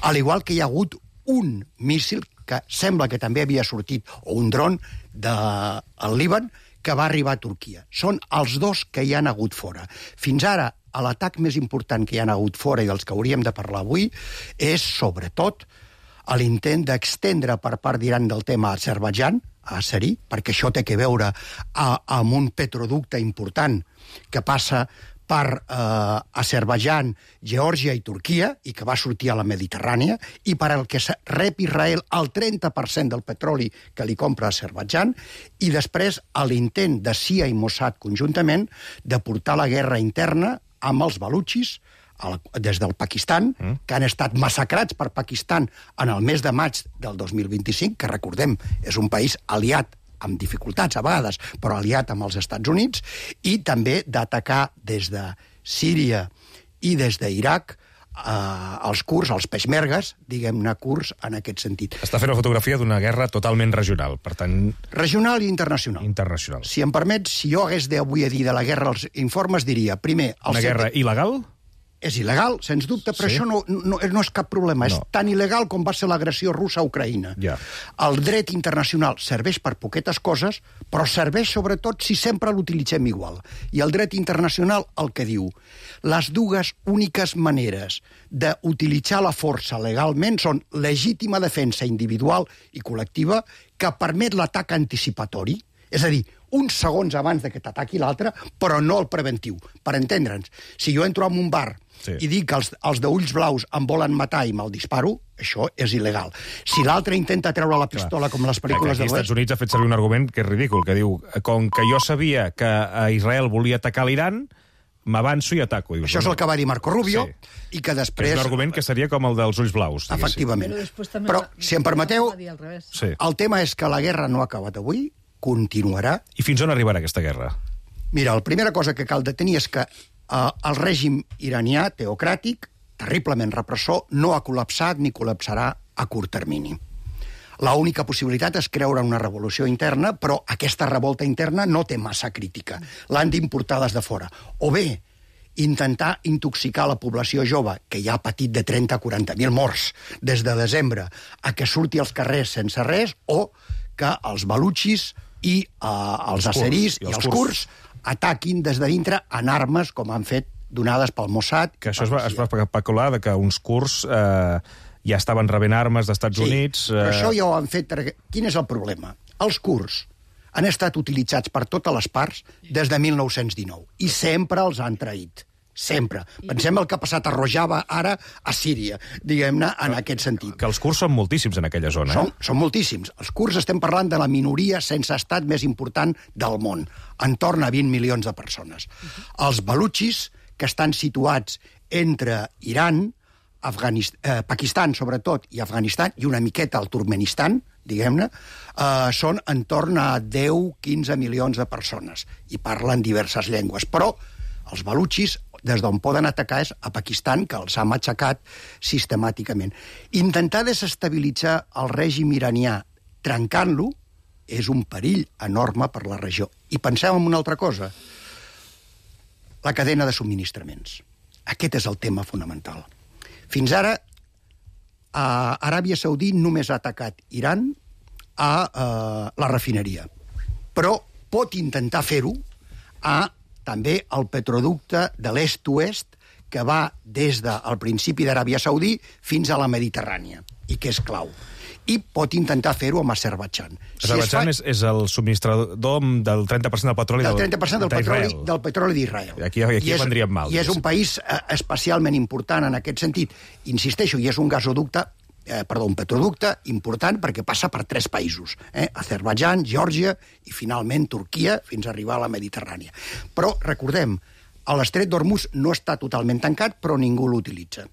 al igual que hi ha hagut un míssil que sembla que també havia sortit, o un dron del Líban, que va arribar a Turquia. Són els dos que hi han hagut fora. Fins ara, l'atac més important que hi han hagut fora i dels que hauríem de parlar avui és, sobretot, l'intent d'extendre per part d'Iran del tema a Azerbaidjan, a Azerí, perquè això té que veure a, amb un petroducte important que passa per eh, Azerbaidjan, Geòrgia i Turquia, i que va sortir a la Mediterrània, i per al que rep Israel el trenta per cent del petroli que li compra a Azerbaidjan, i després l'intent de C I A i Mossad conjuntament de portar la guerra interna amb els balutxis des del Pakistan, mm. que han estat massacrats per Pakistan en el mes de maig del dos mil vint-i-cinc, que recordem és un país aliat amb dificultats a vegades, però aliat amb els Estats Units, i també d'atacar des de Síria i des d'Iraq eh, els kurds, els peshmergues, diguem-ne kurds, en aquest sentit.
Està fent una fotografia d'una guerra totalment regional, per tant...
Regional i internacional.
Internacional.
Si em permets, si jo hagués d'avui a dir de la guerra els informes, diria, primer...
Una guerra il·legal?
és il·legal, sens dubte, però
Sí?
això no, no, no és cap problema.
No.
És tan il·legal com va ser l'agressió russa a Ucraïna.
Ja.
El dret internacional serveix per poquetes coses, però serveix sobretot si sempre l'utilitzem igual. I el dret internacional el que diu, les dues úniques maneres d'utilitzar la força legalment són legítima defensa individual i col·lectiva que permet l'atac anticipatori, és a dir, uns segons abans de que t'ataqui l'altre, però no el preventiu. Per entendre'ns, si jo entro en un bar sí. i dic que els, els d'ulls blaus em volen matar i me'l disparo, això és il·legal. Si l'altre intenta treure la pistola, Clar. com les pel·lícules
de
de
l'Oest... Als Estats Units ha fet servir un argument que és ridícul, que diu, com que jo sabia que Israel volia atacar l'Iran, m'avanço i ataco. Dius,
això és el que va dir Marco Rubio, sí. i que després...
És un argument que seria com el dels ulls blaus. Diguéssim.
Efectivament.
Però,
però, si em permeteu,
sí.
el tema és que la guerra no ha acabat avui, continuarà.
I fins on arribarà aquesta guerra?
Mira, la primera cosa que cal detenir és que eh, el règim iranià, teocràtic, terriblement repressor, no ha col·lapsat ni col·lapsarà a curt termini. L'única possibilitat és creure una revolució interna, però aquesta revolta interna no té massa crítica. L'han d'importar des de fora. O bé, intentar intoxicar la població jove, que ja ha patit de trenta a quaranta mil morts des de desembre, a que surti als carrers sense res, o que els balutxis i eh, els asserís i els kurds ataquin des de dintre en armes, com han fet donades pel Mossad.
Que això es va, es va especular de que uns kurds eh, ja estaven rebent armes d'Estats
sí,
Units... Eh...
però això ja ho han fet... Quin és el problema? Els kurds han estat utilitzats per totes les parts des de mil nou-cents dinou i sempre els han traït. Sempre. Pensem el que ha passat a Rojava ara a Síria, diguem-ne, en aquest sentit.
Que els kurds són moltíssims en aquella zona.
Són,
eh?
són moltíssims. Els kurds estem parlant de la minoria sense estat més important del món, entorn a vint milions de persones. Els balutxis, que estan situats entre Iran, Afganist... eh, Pakistan, sobretot, i Afganistan, i una miqueta al Turkmenistan, diguem-ne, eh, són entorn a deu a quinze milions de persones i parlen diverses llengües. Però els balutxis, des d'on poden atacar és a Pakistan, que els ha matxacat sistemàticament. Intentar desestabilitzar el règim iranià trencant-lo és un perill enorme per la regió. I pensem en una altra cosa, la cadena de subministraments. Aquest és el tema fonamental. Fins ara, a Aràbia Saudí només ha atacat Iran a eh, la refineria, però pot intentar fer-ho a també el petroducte de l'est-oest que va des del principi d'Aràbia Saudí fins a la Mediterrània, i que és clau. I pot intentar fer-ho amb Azerbaidjan.
Azerbaidjan si es fa... és, és el subministrador del trenta per cent del petroli
del trenta per cent del petroli, del petroli d'Israel.
Aquí, aquí
és,
vendríem mal.
I és un país eh, especialment important en aquest sentit. Insisteixo, i és un gasoducte Eh, perdó, un petroducte important perquè passa per tres països, eh? Azerbaidjan, Geòrgia i finalment Turquia fins a arribar a la Mediterrània. Però recordem, l'estret d'Hormuz no està totalment tancat, però ningú l'utilitza.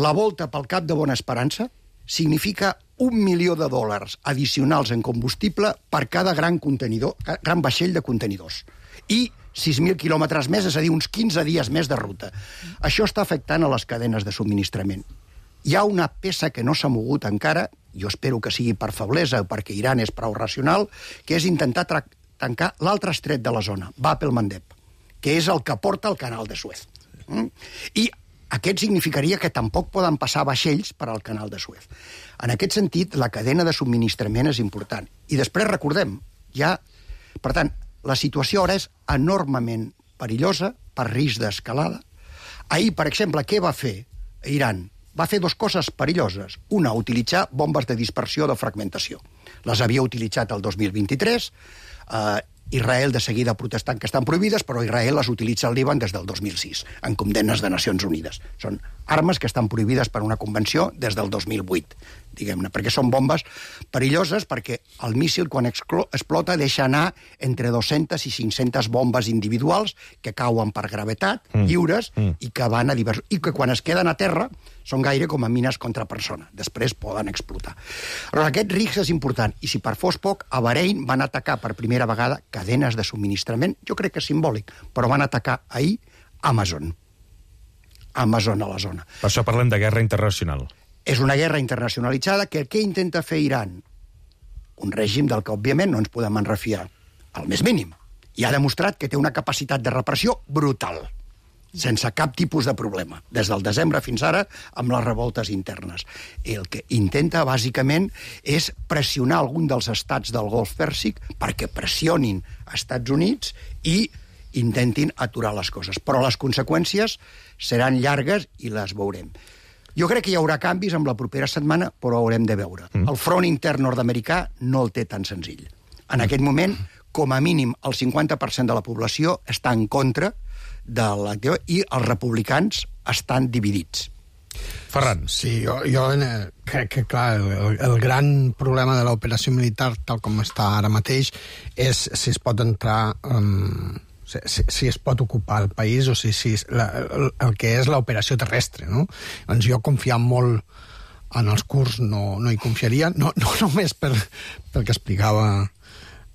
La volta pel Cap de Bona Esperança significa un milió de dòlars addicionals en combustible per cada gran contenidor, gran vaixell de contenidors. I sis mil quilòmetres més, és a dir, uns quinze dies més de ruta. Això està afectant a les cadenes de subministrament. Hi ha una peça que no s'ha mogut encara, jo espero que sigui per feblesa o perquè Iran és prou racional, que és intentar tancar l'altre estret de la zona, Bab el-Mandeb, que és el que porta al canal de Suez. Mm? I aquest significaria que tampoc poden passar vaixells per al canal de Suez. En aquest sentit, la cadena de subministrament és important. I després recordem, ja... Per tant, la situació ara és enormement perillosa per risc d'escalada. Ahir, per exemple, què va fer Iran? Va fer dues coses perilloses. Una, utilitzar bombes de dispersió o de fragmentació. Les havia utilitzat el dos mil vint-i-tres, eh, Israel de seguida protestant que estan prohibides, però Israel les utilitza al Líban des del dos mil sis, en condemnes de Nacions Unides. Són armes que estan prohibides per una convenció des del dos mil vuit, diguem-ne, perquè són bombes perilloses, perquè el míssil, quan explota, deixa anar entre dues-centes i cinc-centes bombes individuals que cauen per gravetat, mm. lliures, mm. i que van a diversos... I que quan es queden a terra són gaire com a mines contra persona. Després poden explotar. Però aquest risc és important, i si per fos poc, a Bahrein van atacar per primera vegada cadenes de subministrament, jo crec que és simbòlic, però van atacar ahir Amazon. Amazon a la zona.
Per això parlem de guerra internacional.
És una guerra internacionalitzada que què intenta fer Iran? Un règim del que, òbviament, no ens podem enrefiar al més mínim. I ha demostrat que té una capacitat de repressió brutal. sense cap tipus de problema, des del desembre fins ara, amb les revoltes internes. El que intenta, bàsicament, és pressionar algun dels estats del Golf Pèrsic perquè pressionin als Estats Units i intentin aturar les coses. Però les conseqüències seran llargues i les veurem. Jo crec que hi haurà canvis amb la propera setmana, però ho haurem de veure. Mm. El front intern nord-americà no el té tan senzill. En aquest moment, com a mínim, el cinquanta per cent de la població està en contra de l'acció i els republicans estan dividits.
Ferran.
Sí, jo, jo crec que, clar, el, el gran problema de l'operació militar, tal com està ara mateix, és si es pot entrar... Um, si, si, si es pot ocupar el país o si, si la, el, el que és l'operació terrestre, no? Doncs jo confiant molt en els kurds no, no hi confiaria, no, no només per, pel que explicava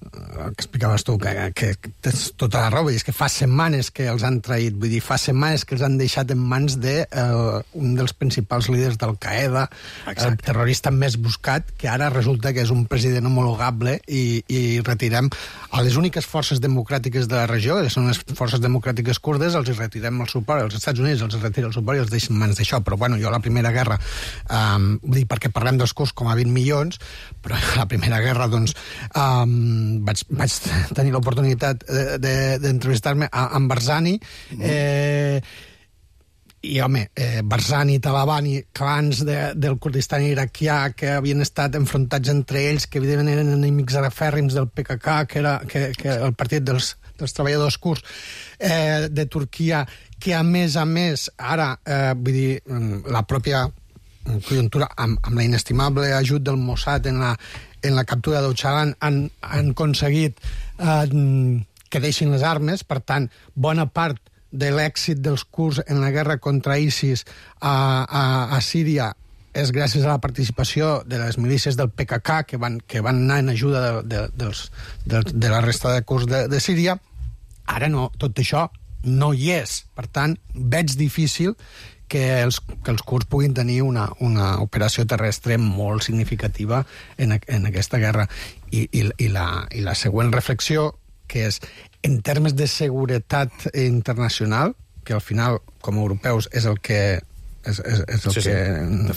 el que explicaves tu, que, que tens tota la raó, és que fa setmanes que els han traït, vull dir, fa setmanes que els han deixat en mans de uh, un dels principals líders d'Al-Qaeda, el terrorista més buscat, que ara resulta que és un president homologable i, i retirem a les úniques forces democràtiques de la regió, que són les forces democràtiques kurdes, els retirem el suport, els Estats Units els retira el suport i els deixen en mans d'això. Però bueno, jo a la Primera Guerra, um, vull dir, perquè parlem dels kurds com a vint milions, però a la Primera Guerra, doncs, um, Vaig, vaig tenir l'oportunitat d'entrevistar-me de, de amb Barzani, eh, i, home, eh, Barzani, Talabani, clans de, del Kurdistan iraquià que havien estat enfrontats entre ells, que evidentment eren enemics arafèrrims del P K K, que era que, que el partit dels, dels treballadors kurds, eh, de Turquia, que a més a més, ara, eh, vull dir, la pròpia conjuntura, amb, amb la inestimable ajut del Mossad en la en la captura d'Öcalan han, han aconseguit eh, que deixin les armes. Per tant, bona part de l'èxit dels kurds en la guerra contra ISIS a, a, a Síria és gràcies a la participació de les milícies del P K K que van, que van anar en ajuda de, de, dels, de, de la resta de kurds de, de Síria. Ara no, tot això no hi és. Per tant, veig difícil que els, que els kurds puguin tenir una, una operació terrestre molt significativa en, en aquesta guerra. I, i, i, la, I la següent reflexió, que és, en termes de seguretat internacional, que al final, com a europeus, és el que és, és, és el
sí,
que
sí.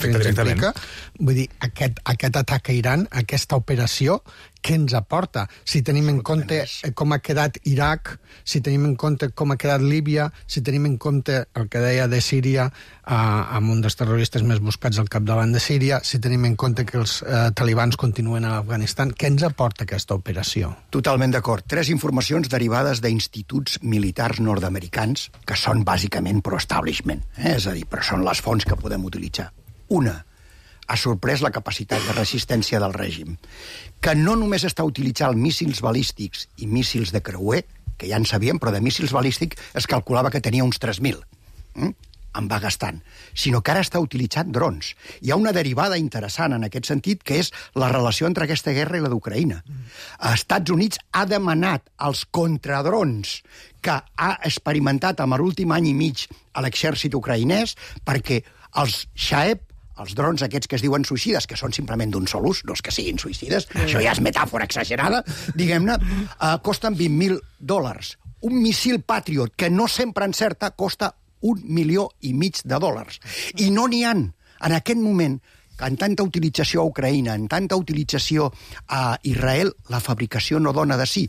Afecta directament.
Implica, vull dir, aquest, aquest atac a Iran, aquesta operació, què ens aporta? Si tenim en compte com ha quedat Iraq, si tenim en compte com ha quedat Líbia, si tenim en compte el que deia de Síria, eh, amb un dels terroristes més buscats al capdavant de Síria, si tenim en compte que els eh, talibans continuen a l'Afganistan, què ens aporta aquesta operació?
Totalment d'acord. Tres informacions derivades d'instituts militars nord-americans, que són bàsicament pro-establishment, eh? És a dir, però són les fonts que podem utilitzar. Una, ha sorprès la capacitat de resistència del règim, que no només està utilitzant míssils balístics i míssils de creuer, que ja en sabíem, però de míssils balístics es calculava que tenia uns tres mil. Mm? En va gastant. Sinó que ara està utilitzant drons. Hi ha una derivada interessant en aquest sentit, que és la relació entre aquesta guerra i la d'Ucraïna. Mm. Estats Units ha demanat als contradrons que ha experimentat amb l'últim any i mig a l'exèrcit ucraïnès perquè els Shahed, els drons aquests que es diuen suïcides, que són simplement d'un sol ús, no és que siguin suïcides, mm. això ja és metàfora exagerada, diguem-ne, eh, costen vint mil dòlars. Un missil Patriot, que no sempre encerta, costa un milió i mig de dòlars. I no n'hi han. En aquest moment, en tanta utilització a Ucraïna, en tanta utilització a Israel, la fabricació no dona de sí.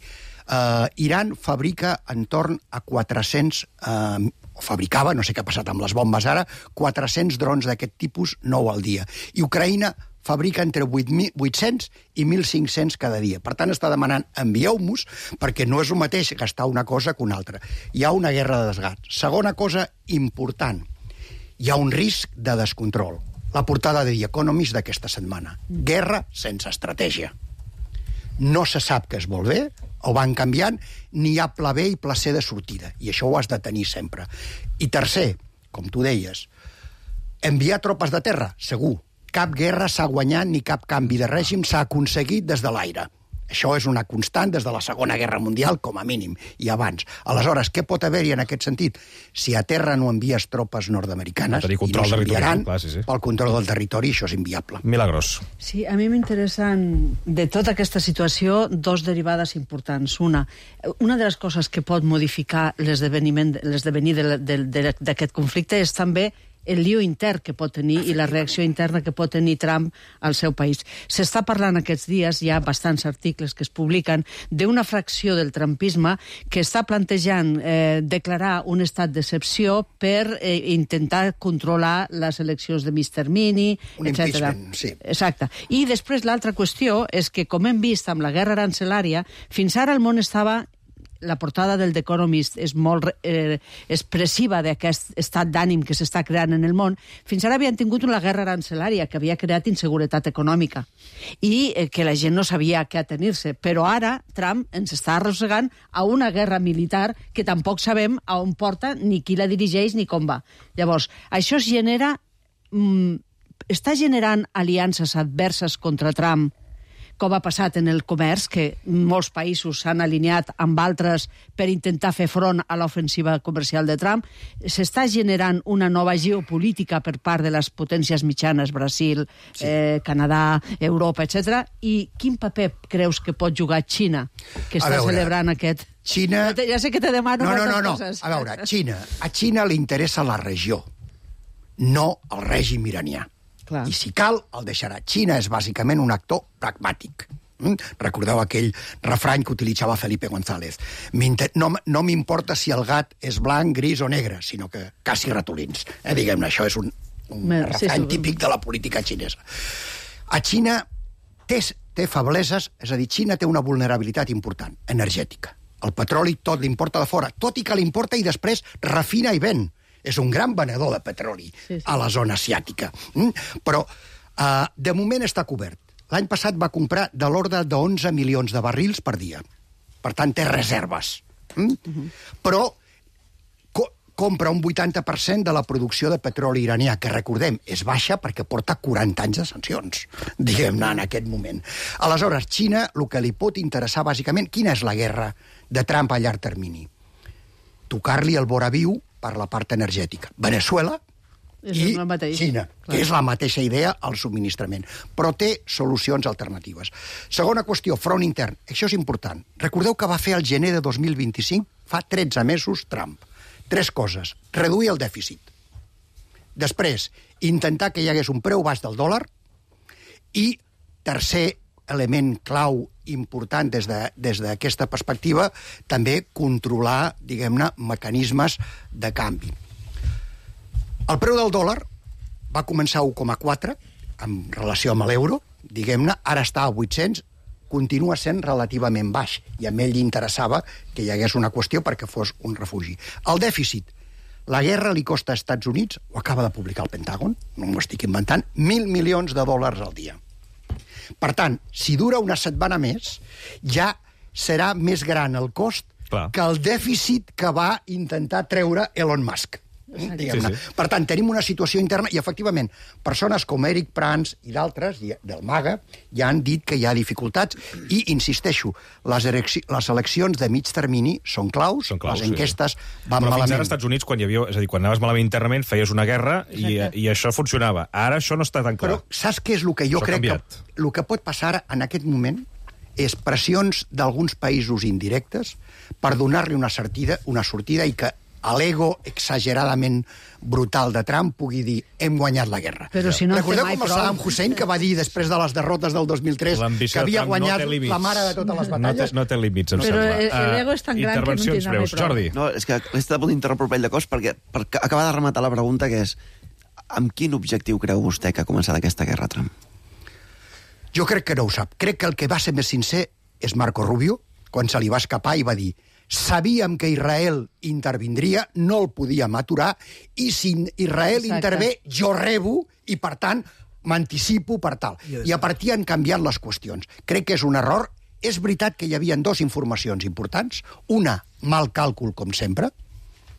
Uh, Iran fabrica entorn a quatre-cents... Uh, o fabricava, no sé què ha passat amb les bombes ara, quatre-cents drons d'aquest tipus, nou al dia. I Ucraïna fabrica entre vuit-cents i mil cinc-cents cada dia. Per tant, està demanant, envieu-nos, perquè no és el mateix gastar una cosa que una altra. Hi ha una guerra de desgast. Segona cosa important, hi ha un risc de descontrol. La portada de The Economist d'aquesta setmana. Guerra sense estratègia. No se sap què es vol bé, o van canviant, ni hi ha pla B i pla C de sortida, i això ho has de tenir sempre. I tercer, com tu deies, enviar tropes de terra, segur. Cap guerra s'ha guanyat ni cap canvi de règim s'ha aconseguit des de l'aire. Això és una constant des de la Segona Guerra Mundial, com a mínim, i abans. Aleshores, què pot haver-hi en aquest sentit? Si a terra no envies tropes nord-americanes, i no s'enviaran, sí, sí. pel control del territori, això és inviable.
Milagros.
Sí, a mi m'interessen de tota aquesta situació dos derivades importants. Una, una de les coses que pot modificar l'esdeveniment d'aquest conflicte és també el lío intern que pot tenir i la reacció interna que pot tenir Trump al seu país. S'està parlant aquests dies, hi ha bastants articles que es publiquen, d'una fracció del trumpisme que està plantejant eh, declarar un estat d'excepció per eh, intentar controlar les eleccions de mig termini,
un
etcètera.
Impeachment, sí.
Exacte. I després l'altra qüestió és que, com hem vist amb la guerra arancelària, fins ara el món estava... La portada del The Economist és molt eh, expressiva d'aquest estat d'ànim que s'està creant en el món. Fins ara havien tingut una guerra arancelària que havia creat inseguretat econòmica i eh, que la gent no sabia què atenir-se. Però ara Trump ens està arrossegant a una guerra militar que tampoc sabem a on porta, ni qui la dirigeix, ni com va. Llavors, això es genera... Mm, està generant aliances adverses contra Trump, com ha passat en el comerç, que molts països s'han alineat amb altres per intentar fer front a l'ofensiva comercial de Trump. S'està generant una nova geopolítica per part de les potències mitjanes, Brasil, sí. eh, Canadà, Europa, etcètera. I quin paper creus que pot jugar Xina, que està veure, celebrant aquest...
Xina...
Ja sé que te demano
no, no,
moltes
no, no.
coses.
A veure, Xina. A Xina li interessa la regió, no el règim iranià.
Clar.
I si cal, el deixarà. Xina és bàsicament un actor pragmàtic. Mm? Recordeu aquell refrany que utilitzava Felipe González. No, no m'importa si el gat és blanc, gris o negre, sinó que caci ratolins. Eh, Diguem-ne, això és un, un Me, refrany sí, típic de la política xinesa. A Xina té, té febleses, és a dir, Xina té una vulnerabilitat important, energètica. El petroli tot l'importa de fora, tot i que l'importa i després refina i ven. És un gran venedor de petroli sí, sí. a la zona asiàtica. Mm? Però, uh, de moment, està cobert. L'any passat va comprar de l'ordre d'onze milions de barrils per dia. Per tant, té reserves. Mm? Uh-huh. Però co compra un vuitanta per cent de la producció de petroli iranià, que, recordem, és baixa perquè porta quaranta anys de sancions, diguem-ne, en aquest moment. Aleshores, Xina, el que li pot interessar, bàsicament, quina és la guerra de Trump a llarg termini? Tocar-li el vora viu per la part energètica. Veneçuela i Xina, que és la mateixa idea al subministrament, però té solucions alternatives. Segona qüestió, front intern. Això és important. Recordeu que va fer el gener de dos mil vint-i-cinc, fa tretze mesos, Trump. Tres coses. Reduir el dèficit. Després, intentar que hi hagués un preu baix del dòlar. I, tercer element clau important des de, des d'aquesta perspectiva, també controlar, diguem-ne, mecanismes de canvi. El preu del dòlar va començar a u coma quatre en relació amb l'euro, diguem-ne, ara està a vuit-cents, continua sent relativament baix, i a ell li interessava que hi hagués una qüestió perquè fos un refugi. El dèficit. La guerra li costa als Estats Units, ho acaba de publicar el Pentàgon, no m'ho estic inventant, mil milions de dòlars al dia. Per tant, si dura una setmana més, ja serà més gran el cost Clar. que el dèficit que va intentar treure Elon Musk. Sí, sí. Per tant, tenim una situació interna i, efectivament, persones com Eric Prans i d'altres, del MAGA, ja han dit que hi ha dificultats i, insisteixo, les, les eleccions de mig termini són claus, són claus les enquestes sí. van
Però
malament.
Però fins ara als Estats Units, quan hi havia, és a dir, quan anaves malament internament, feies una guerra i, i això funcionava. Ara això no està tan clar.
Però saps què és el que jo
això
crec que... El que pot passar en aquest moment és pressions d'alguns països indirectes per donar-li una sortida, una sortida i que a l'ego exageradament brutal de Trump pugui dir hem guanyat la guerra.
Però si no
Recordeu com el Saddam Hussein, que va dir després de les derrotes del dos mil tres que havia guanyat no la mare de totes les batalles?
No té, no té límits, em
Però
sembla.
l'ego és tan gran que no en tindrà mai prou.
Jordi.
No, és que he estat a punt d'interrompre un parell de coses perquè per acabar de rematar la pregunta, que és amb quin objectiu creu vostè que ha començat aquesta guerra, Trump?
Jo crec que no ho sap. Crec que el que va ser més sincer és Marco Rubio, quan se li va escapar i va dir sabíem que Israel intervindria, no el podíem aturar, i si Israel Exacte. intervé, jo rebo, i per tant m'anticipo per tal. I a partir han canviat les qüestions. Crec que és un error. És veritat que hi havia dues informacions importants. Una, mal càlcul, com sempre,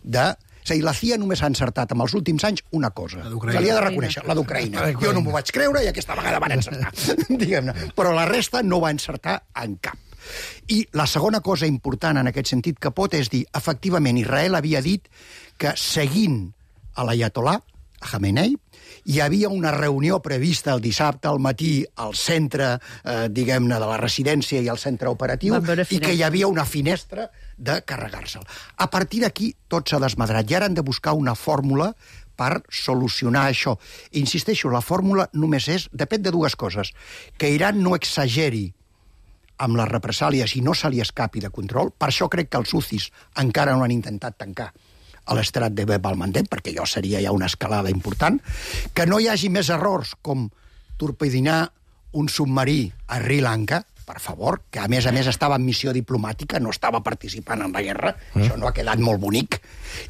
de És a dir, la C I A només ha encertat en els últims anys una cosa. Se li ha de reconèixer, la d'Ucraïna. Jo no m'ho vaig creure i aquesta vegada van encertar. Diguem-ne. Però la resta no va encertar en cap. I la segona cosa important en aquest sentit que pot és dir, efectivament, Israel havia dit que seguint a l'Ayatollah, a Khamenei, hi havia una reunió prevista el dissabte al matí al centre, eh, diguem-ne, de la residència i al centre operatiu, i que hi havia una finestra de carregar-se'l. A partir d'aquí tot s'ha desmadrat i ara han de buscar una fórmula per solucionar això. I insisteixo, la fórmula només és, depèn de dues coses, que Iran no exageri amb les represàlies i no se li escapi de control. Per això crec que els Houthis encara no han intentat tancar a l'estrat de Bab al-Mandeb, perquè allò seria ja una escalada important, que no hi hagi més errors com torpedinar un submarí a Sri Lanka, per favor, que a més a més estava en missió diplomàtica, no estava participant en la guerra, mm. això no ha quedat molt bonic,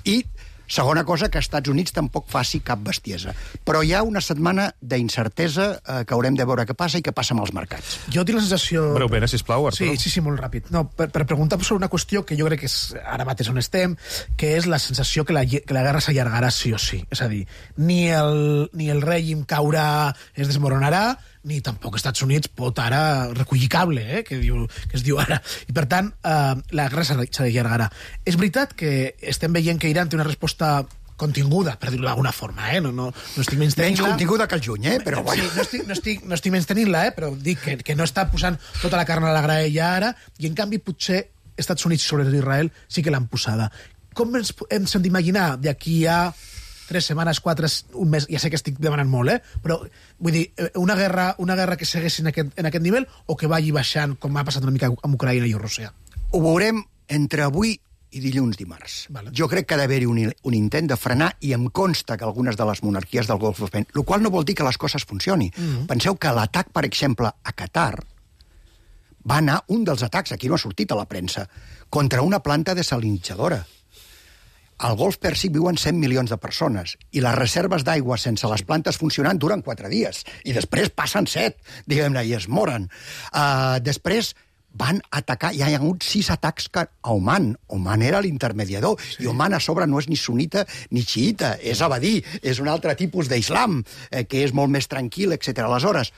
i segona cosa, que als Estats Units tampoc faci cap bestiesa. Però hi ha una setmana d'incertesa eh, que haurem de veure què passa i què passa amb els mercats.
Jo tinc la sensació...
Breument, sisplau, Arturo.
Sí, sí, sí, molt ràpid. No, per, per preguntar sobre una qüestió que jo crec que és ara mateix on estem, que és la sensació que la, que la guerra s'allargarà sí o sí. És a dir, ni el, ni el règim caurà, es desmoronarà, ni tampoc els Estats Units pot ara recollir cable, eh, que, diu, que es diu ara. I, per tant, eh, la guerra s'allargarà. És veritat que estem veient que Iran té una resposta continguda, per dir-ho d'alguna forma, eh? No, no, no estic menys tenint-la.
Menys continguda que el juny, eh? Però bueno.
Sí, no estic, no estic, no estic menys tenint-la, eh? Però dic que, que no està posant tota la carn a la graella ara, i en canvi potser Estats Units sobre Israel sí que l'han posada. Com ens, ens hem d'imaginar d'aquí a tres setmanes, quatre, un mes, ja sé que estic demanant molt, eh? Però, vull dir, una guerra, una guerra que segueixi en aquest, en aquest nivell o que vagi baixant, com ha passat una mica amb Ucraïna i Rússia?
Ho veurem entre avui i dilluns dimarts. Vale. Jo crec que ha d'haver-hi un, un intent de frenar i em consta que algunes de les monarquies del Golf ho fan, el qual no vol dir que les coses funcioni. Mm-hmm. Penseu que l'atac, per exemple, a Qatar va anar, un dels atacs, aquí no ha sortit a la premsa, contra una planta desalinitzadora. Al Golf Pèrsic viuen cent milions de persones i les reserves d'aigua sense les plantes funcionant duren quatre dies i després passen set, diguem-ne, i es moren. Uh, després van atacar, hi ha hagut sis atacs a Oman. Oman era l'intermediador, sí. I Oman a sobre no és ni sunita ni xiita, és abadí, és un altre tipus d'islam, eh, que és molt més tranquil, etcètera. Aleshores,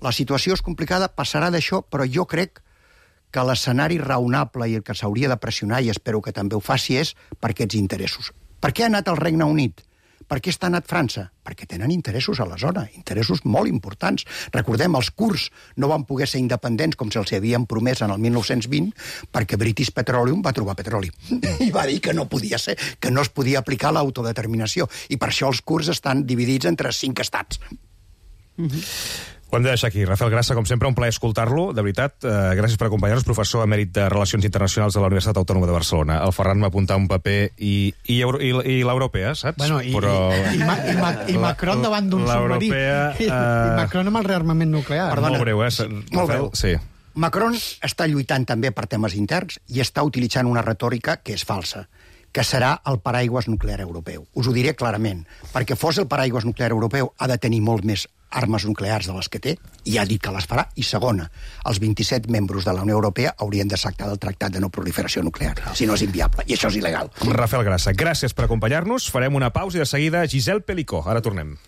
la situació és complicada, passarà d'això, però jo crec que l'escenari raonable i el que s'hauria de pressionar, i espero que també ho faci, és per aquests interessos. Per què ha anat el Regne Unit? Per què està anat França? Perquè tenen interessos a la zona, interessos molt importants. Recordem, els kurds no van poder ser independents com se'ls havien promès en el mil nou-cents vint perquè British Petroleum va trobar petroli. I va dir que no podia ser, que no es podia aplicar l'autodeterminació. I per això els kurds estan dividits entre cinc estats.
Mm-hmm. Ho hem de deixar aquí. Rafael Grassa, com sempre, un plaer escoltar-lo. De veritat, eh, gràcies per acompanyar-nos, professor emèrit de Relacions Internacionals de la Universitat Autònoma de Barcelona. El Ferran m'ha apuntat un paper i, i, i, i l'europea, saps?
Bueno, i,
Però...
i, i, i, Ma, i Macron davant d'un submarí. I, uh... I Macron amb el rearmament nuclear.
Perdona, molt breu, eh?
Molt breu.
Sí.
Macron està lluitant també per temes interns i està utilitzant una retòrica que és falsa, que serà el paraigües nuclear europeu. Us ho diré clarament. Perquè fos el paraigües nuclear europeu ha de tenir molt més armes nuclears de les que té, i ha dit que les farà. I segona, els vint-i-set membres de la Unió Europea haurien de sactar del Tractat de no proliferació nuclear, si no és inviable, i això és il·legal.
Rafael Grassa, gràcies per acompanyar-nos. Farem una pausa i de seguida Giselle Pelicó. Ara tornem.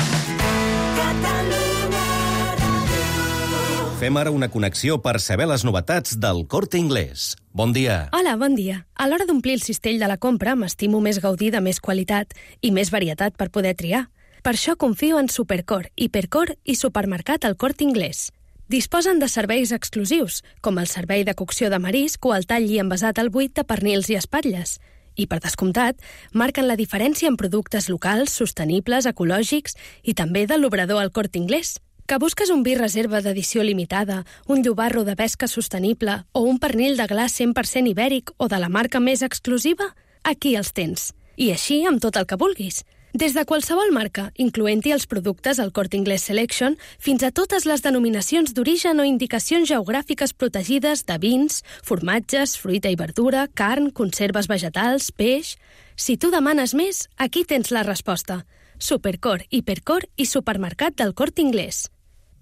Fem ara una connexió per saber les novetats del Corte Inglés. Bon dia.
Hola, bon dia. A l'hora d'omplir el cistell de la compra m'estimo més gaudir de més qualitat i més varietat per poder triar. Per això confio en Supercor, Hipercor i Supermercat El Corte Inglés. Disposen de serveis exclusius, com el servei de cocció de marisc o el tall i envasat al buit de pernils i espatlles. I, per descomptat, marquen la diferència en productes locals, sostenibles, ecològics i també de l'obrador El Corte Inglés. Que busques un vi reserva d'edició limitada, un llobarro de pesca sostenible o un pernil de gla cent per cent ibèric o de la marca més exclusiva? Aquí els tens. I així amb tot el que vulguis. Des de qualsevol marca, incloent-hi els productes El Corte Inglés Selection, fins a totes les denominacions d'origen o indicacions geogràfiques protegides de vins, formatges, fruita i verdura, carn, conserves vegetals, peix... Si tu demanes més, aquí tens la resposta. Supercor, Hipercor i Supermercat del Corte Inglés.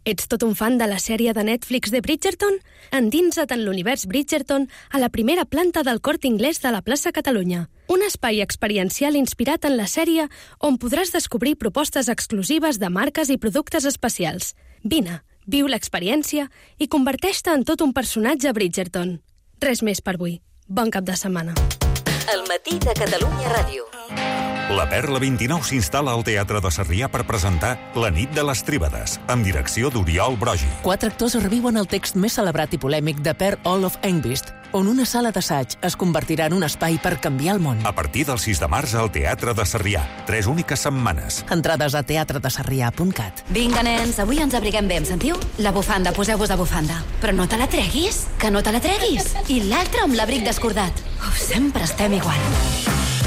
Ets tot un fan de la sèrie de Netflix de Bridgerton? Endinsa't en l'univers Bridgerton a la primera planta del Corte Inglés de la plaça Catalunya. Un espai experiencial inspirat en la sèrie on podràs descobrir propostes exclusives de marques i productes especials. Vine, viu l'experiència i converteix-te en tot un personatge Bridgerton. Res més per avui. Bon cap de setmana.
El matí de Catalunya Ràdio.
La Perla vint-i-nou s'instal·la al Teatre de Sarrià per presentar La nit de les Tríbades, amb direcció d'Oriol Brogi.
Quatre actors reviuen el text més celebrat i polèmic de Per Olof Engvist, on una sala d'assaig es convertirà en un espai per canviar el món.
A partir del sis de març al Teatre de Sarrià. Tres úniques setmanes.
Entrades a teatre de sarrià punt cat.
Vinga, nens, avui ens abriguem bé, em sentiu? La bufanda, poseu-vos de bufanda. Però no te la treguis, que no te la treguis. I l'altre amb l'abric descordat. Uf, sempre estem igual.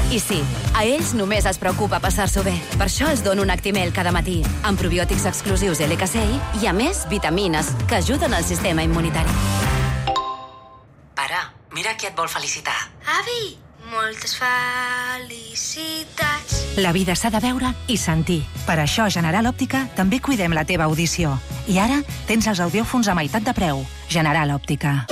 I sí, a ells només es preocupa passar-s'ho bé. Per això els dono un Actimel cada matí, amb probiòtics exclusius L K C I i, a més, vitamines que ajuden al sistema immunitari.
Pare, mira qui et vol felicitar.
Avi, moltes felicitats.
La vida s'ha de veure i sentir. Per això a General Òptica també cuidem la teva audició. I ara tens els audiòfons a meitat de preu. General Òptica.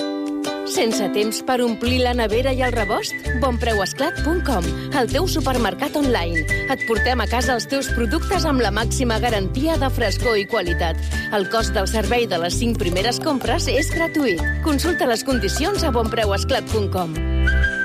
Sense temps per omplir la nevera i el rebost? bonpreuesclat punt com, el teu supermercat online. Et portem a casa els teus productes amb la màxima garantia de frescor i qualitat. El cost del servei de les cinc primeres compres és gratuït. Consulta les condicions a bonpreuesclat punt com.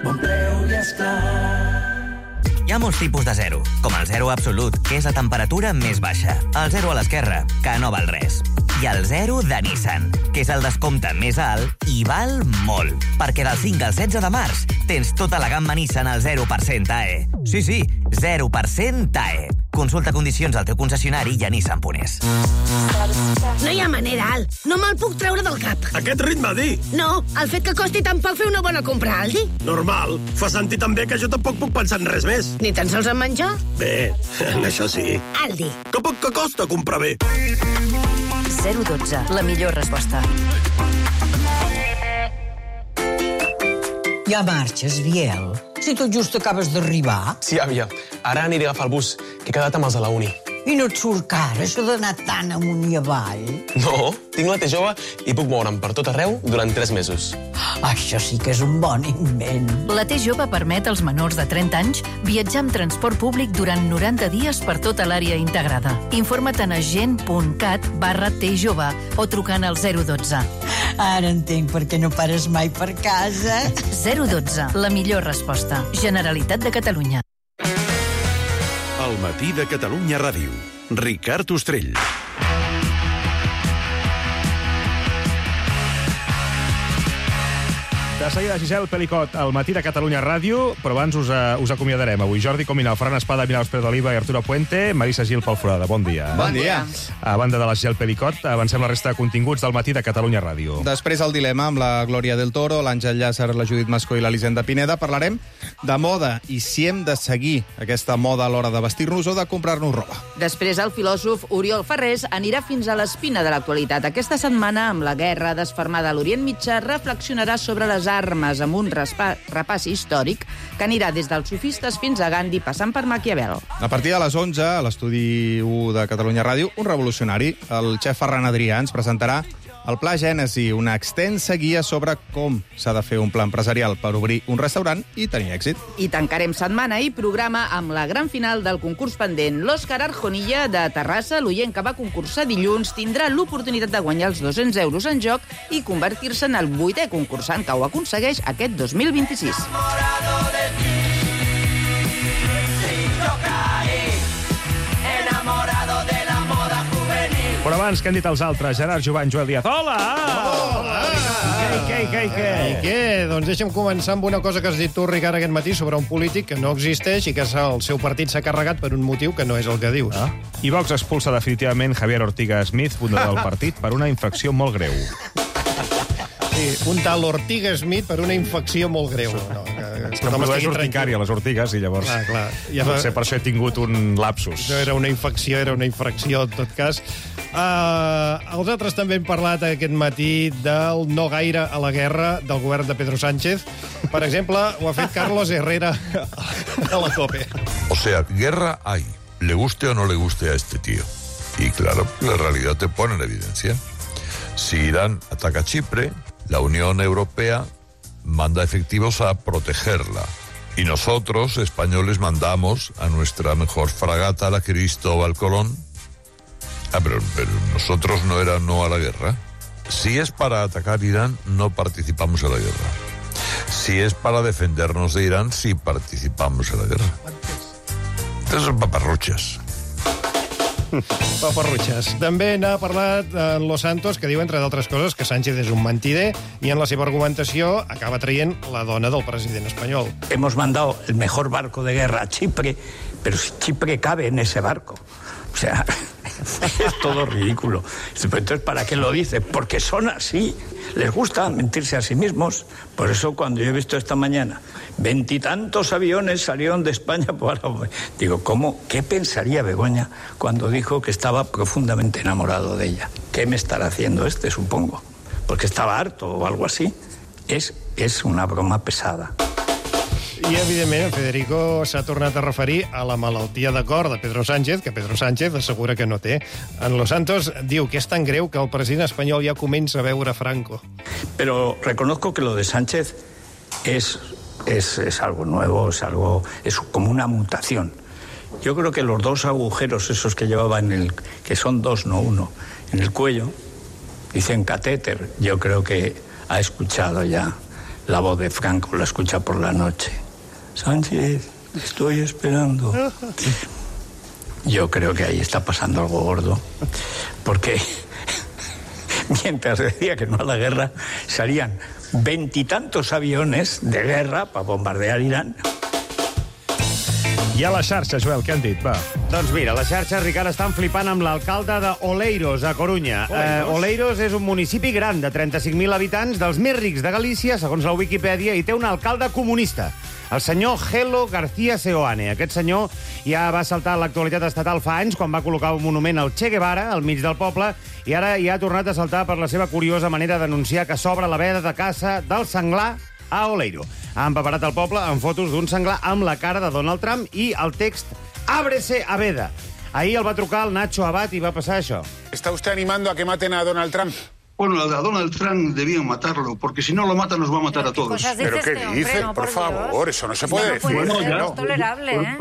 Bon preu i esclat.
Hi ha molts tipus de zero, com el zero absolut, que és la temperatura més baixa. El zero a l'esquerra, que no val res. I el zero de Nissan, que és el descompte més alt i val molt. Perquè del cinc al setze de març tens tota la gamma Nissan al zero per cent A E. Sí, sí, zero per cent A E. Consulta condicions al teu concessionari i a Nissan punt es.
No hi ha manera, Al. No me'l puc treure del cap.
Aquest ritme, di.
No, el fet que costi tan poc fer una bona compra, Aldi.
Normal. Fa sentir també que jo tampoc puc pensar en res més.
Ni tan sols en menjar?
Bé, en això sí.
Aldi.
Que poc que costa comprar bé.
zero dotze, la millor resposta.
Ja marxes, Biel? Si tot just acabes d'arribar.
Sí, àvia. Ara aniré a agafar el bus, que he quedat amb els de la uni.
I no et surt car, això d'anar tan amunt i avall?
No, tinc la T jove i puc moure'm per tot arreu durant tres mesos.
Això sí que és un bon invent.
La T jove permet als menors de trenta anys viatjar amb transport públic durant noranta dies per tota l'àrea integrada. Informa't a agent.cat barra T jove o trucant al zero dotze.
Ara entenc per què no pares mai per casa.
zero dotze, la millor resposta. Generalitat de Catalunya.
El matí de Catalunya Ràdio. Ricard Ostrell.
De seguida, Giselle Pelicot, al matí de Catalunya Ràdio, però abans us, uh, us acomiadarem. Avui Jordi Cominal, Ferran Espada, Milagros Pérez d'Oliva i Arturo Puente, Marisa Gil Palforada. Bon dia.
Bon dia.
A banda de la Giselle Pelicot, avancem la resta de continguts del matí de Catalunya Ràdio.
Després el dilema amb la Glòria del Toro, l'Àngel Llàcer, la Judit Mascó i l'Elisenda Pineda. Parlarem de moda i si hem de seguir aquesta moda a l'hora de vestir-nos o de comprar-nos roba.
Després el filòsof Oriol Ferrés anirà fins a l'espina de l'actualitat. Aquesta setmana, amb la guerra desfermada a l'Orient Mitjà, reflexionarà sobre les armes amb un respa, repàs històric que anirà des dels sofistes fins a Gandhi, passant per Maquiavel.
A partir de les onze, a l'estudi u de Catalunya Ràdio, un revolucionari, el xef Ferran Adrià, ens presentarà el Pla Gènesi, una extensa guia sobre com s'ha de fer un pla empresarial per obrir un restaurant i tenir èxit.
I tancarem setmana i programa amb la gran final del concurs pendent. L'Òscar Arjonilla, de Terrassa, l'oient que va concursar dilluns, tindrà l'oportunitat de guanyar els dos-cents euros en joc i convertir-se en el vuitè concursant que ho aconsegueix aquest dos mil vint-i-sis.
Però abans, què han dit els altres? Gerard Jovany, Joel Díaz. Hola!
Hola!
Què, què, què, què?
I què? Doncs deixa'm començar amb una cosa que has dit tu, Ricard, aquest matí sobre un polític que no existeix i que el seu partit s'ha carregat per un motiu que no és el que dius.
Ah. I Vox expulsa definitivament Javier Ortiga Smith, fundador del partit, per una infracció molt greu.
Sí, un tal Ortiga Smith per una infecció molt greu. No, que,
és que em produeix urticària, les ortigues, i llavors...
Ah, clar. Ja
fa... Potser per això he tingut un lapsus.
No era una infecció, era una infracció, en tot cas. Uh, els altres també hem parlat aquest matí del no gaire a la guerra del govern de Pedro Sánchez. Per exemple, ho ha fet Carlos Herrera a la COPE.
O sea, guerra hay. Le guste o no le guste a este tío.
Y claro, la realidad te pone en evidencia. Si Irán ataca Chipre, la Unión Europea manda efectivos a protegerla. Y nosotros, españoles, mandamos a nuestra mejor fragata, la Cristóbal Colón. Ah, pero, pero nosotros no era no a la guerra. Si es para atacar Irán, no participamos en la guerra. Si es para defendernos de Irán, sí participamos en la guerra. Entonces son paparruchas.
Paparrutxes. També n'ha parlat en Los Santos, que diu, entre d'altres coses, que Sánchez és un mentider, i en la seva argumentació acaba traient la dona del president espanyol.
Hemos mandado el mejor barco de guerra a Chipre, pero si Chipre cabe en ese barco. O sea, es todo ridículo. Entonces, ¿para qué lo dice? Porque son así. Les gusta mentirse a sí mismos. Por eso, cuando yo he visto esta mañana veintitantos aviones salieron de España para... Digo, ¿cómo? ¿Qué pensaría Begoña cuando dijo que estaba profundamente enamorado de ella? ¿Qué me estará haciendo este, supongo? Porque estaba harto o algo así. Es, es una broma pesada.
I, evidentment, Federico s'ha tornat a referir a la malaltia de cor de Pedro Sánchez, que Pedro Sánchez assegura que no té. En Los Santos diu que és tan greu que el president espanyol ja comença a veure Franco.
Pero reconozco que lo de Sánchez es, es, es algo nuevo, es algo, es como una mutación. Yo creo que los dos agujeros esos que llevaba en el, que son dos, no uno, en el cuello, dicen catéter, yo creo que ha escuchado ya la voz de Franco, la escucha por la noche. Sánchez, estoy esperando. Yo creo que ahí está pasando algo gordo, porque mientras decía que no a la guerra, salían veintitantos aviones de guerra para bombardear Irán.
I a la xarxa, Joel, què han dit? Va.
Doncs mira, la xarxa, Ricard, estan flipant amb l'alcalde de Oleiros, a Corunya. Oleiros. Uh, Oleiros és un municipi gran de trenta-cinc mil habitants, dels més rics de Galícia, segons la Wikipedia, i té un alcalde comunista, el senyor Gelo García Seoane. Aquest senyor ja va saltar a l'actualitat estatal fa anys, quan va col·locar un monument al Che Guevara, al mig del poble, i ara ja ha tornat a saltar per la seva curiosa manera d'anunciar que s'obre la veda de caça del senglar a Oleiro. Ha empaperat el poble amb fotos d'un senglar amb la cara de Donald Trump i el text «Ábrese a veda». Ahir el va trucar el Nacho Abad i va passar això.
¿Está usted animando a que maten a Donald Trump?
Bueno, a Donald Trump debían matarlo, porque si no lo matan nos va a matar a todos.
¿Pero qué dice? Por favor, eso no se puede decir.
No puede ser, no es tolerable, ¿eh?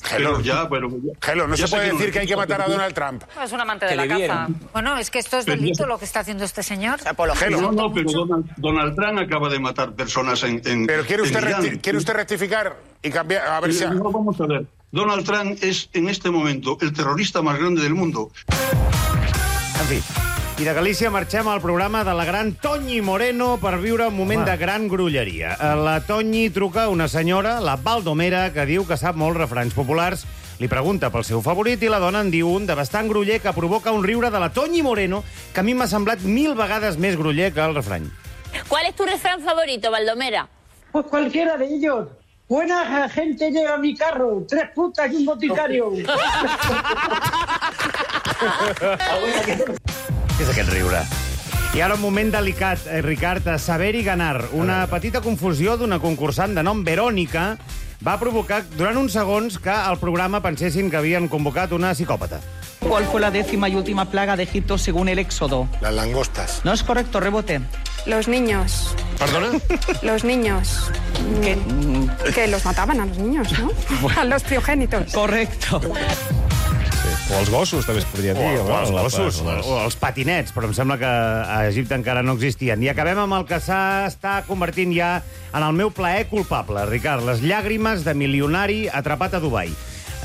Gelo, ya, pero... Gelo, no se puede decir que hay que matar a Donald Trump.
Es un amante de la caza. Bueno, es que esto es delito lo que está haciendo este señor.
Gelo. No, no, pero Donald, Donald Trump acaba de matar personas en, en
Pero ¿quiere usted,
en
recti ¿quiere usted rectificar y cambiar? A ver si...
No, vamos a ver. Donald Trump es, en este momento, el terrorista más grande del mundo.
En fi, i de Galícia marxem al programa de la gran Toñi Moreno per viure un moment Home. de gran grulleria. La Toñi truca a una senyora, la Baldomera, que diu que sap molts refranys populars, li pregunta pel seu favorit i la dona en diu un de bastant gruller que provoca un riure de la Toñi Moreno que a mi m'ha semblat mil vegades més gruller que el refrany.
¿Cuál es tu refrán favorito, Baldomera?
Pues cualquiera de ellos. Buena gente lleva mi carro, tres putas y un boticario.
Què és aquest riure? I ara un moment delicat, eh, Ricard. Saber i ganar. Una petita confusió d'una concursant de nom Verònica va provocar durant uns segons que al programa pensessin que havien convocat una psicòpata.
¿Cuál fue la décima y última plaga de Egipto según el Éxodo?
Las langostas.
No es correcto, rebote.
Los niños.
¿Perdona?
Los niños.
¿Qué?
Que los mataban a los niños, ¿no? Bueno. A los primogénitos.
Correcto.
O els gossos, també es podria dir.
O, o els gossos, o, o els patinets, però em sembla que a Egipte encara no existien. I acabem amb el que s'està convertint ja en el meu plaer culpable, Ricard. Les llàgrimes de milionari atrapat a Dubai.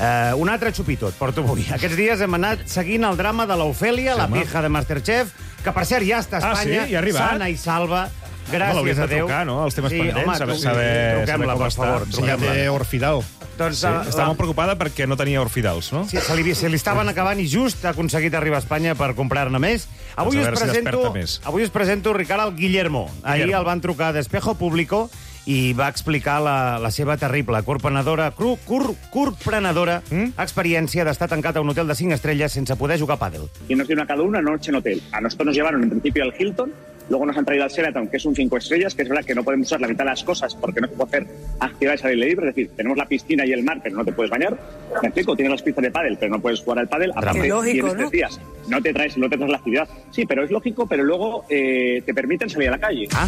Uh, un altre xupitot, porto avui. Aquests dies hem anat seguint el drama de l'Ofèlia, sí, la pija de Masterchef, que per cert ja està a Espanya,
ah, sí? Ja ha arribat?
sana i salva. Gràcies
a
Déu.
De trucar, no?, els temes
sí,
pendents,
home,
saber,
tu,
saber,
truquem-la, per favor.
Sí, ja té orfidal. Doncs, sí, uh, està la... molt preocupada perquè no tenia orfidals, no?
Sí, se li, se li estaven acabant i just ha aconseguit arribar a Espanya per comprar-ne més. Avui, us presento, si avui us presento, Ricard, el Guillermo. Ahir Guillermo. El van trucar d'Espejo Público i va explicar la, la seva terrible corprenedora, cur, cur, curprenedora mm? experiència d'estar tancat a un hotel de cinc estrelles sense poder jugar a pàdel.
Y nos dieron a cada uno una noche en hotel. A nosotros nos llevaron en principio al Hilton,
Luego nos han traído al Sheraton, que es un cinco estrellas, que es verdad que no podemos usar la mitad de las cosas porque no se puede hacer actividades al aire libre. Es decir, tenemos la piscina y el mar, pero no te puedes bañar. Me explico, tienes las pistas de pádel, pero no puedes jugar al pádel. Aparte,
lógico,
tienes
¿no?
tres días. No te traes, no te traes la actividad. Sí, pero es lógico, pero luego eh, te permiten salir a la calle.
Ah.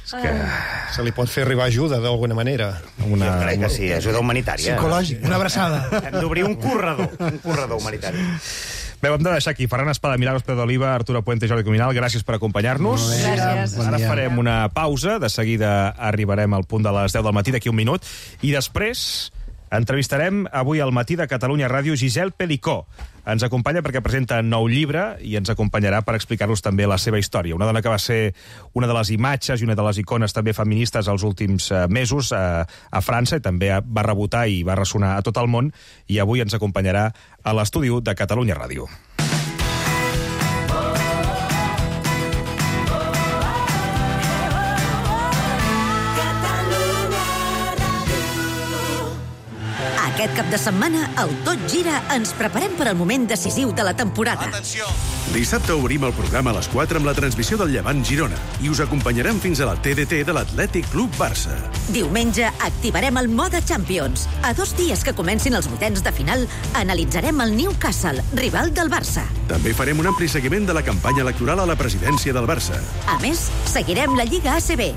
És que se li pot fer arribar ajuda d'alguna manera.
Una... Jo crec que sí, ajuda humanitària.
Psicològica.
Una abraçada.
Hem d'obrir un corredor, un corredor humanitari.
Bé, hem de deixar aquí. Ferran Espada, Milagros Pérez d'Oliva, Arturo Puente i Jordi Cuminal, gràcies per acompanyar-nos.
Gràcies.
Ara farem una pausa, de seguida arribarem al punt de les deu del matí, d'aquí un minut, i després entrevistarem avui al matí de Catalunya Ràdio Giselle Pelicó. Ens acompanya perquè presenta nou llibre i ens acompanyarà per explicar-nos també la seva història. Una dona que va ser una de les imatges i una de les icones també feministes els últims mesos a, a França, i també va rebotar i va ressonar a tot el món, i avui ens acompanyarà a l'estudi de Catalunya Ràdio.
Aquest cap de setmana, al Tot Gira, ens preparem per al moment decisiu de la temporada.
Atenció! Dissabte obrim el programa a les quatre amb la transmissió del Llevant Girona i us acompanyarem fins a la T D T de l'Atlètic Club Barça.
Diumenge activarem el mode Champions. A dos dies que comencin els vuitens de final, analitzarem el Newcastle, rival del Barça.
També farem un ampli seguiment de la campanya electoral a la presidència del Barça.
A més, seguirem la Lliga A C B.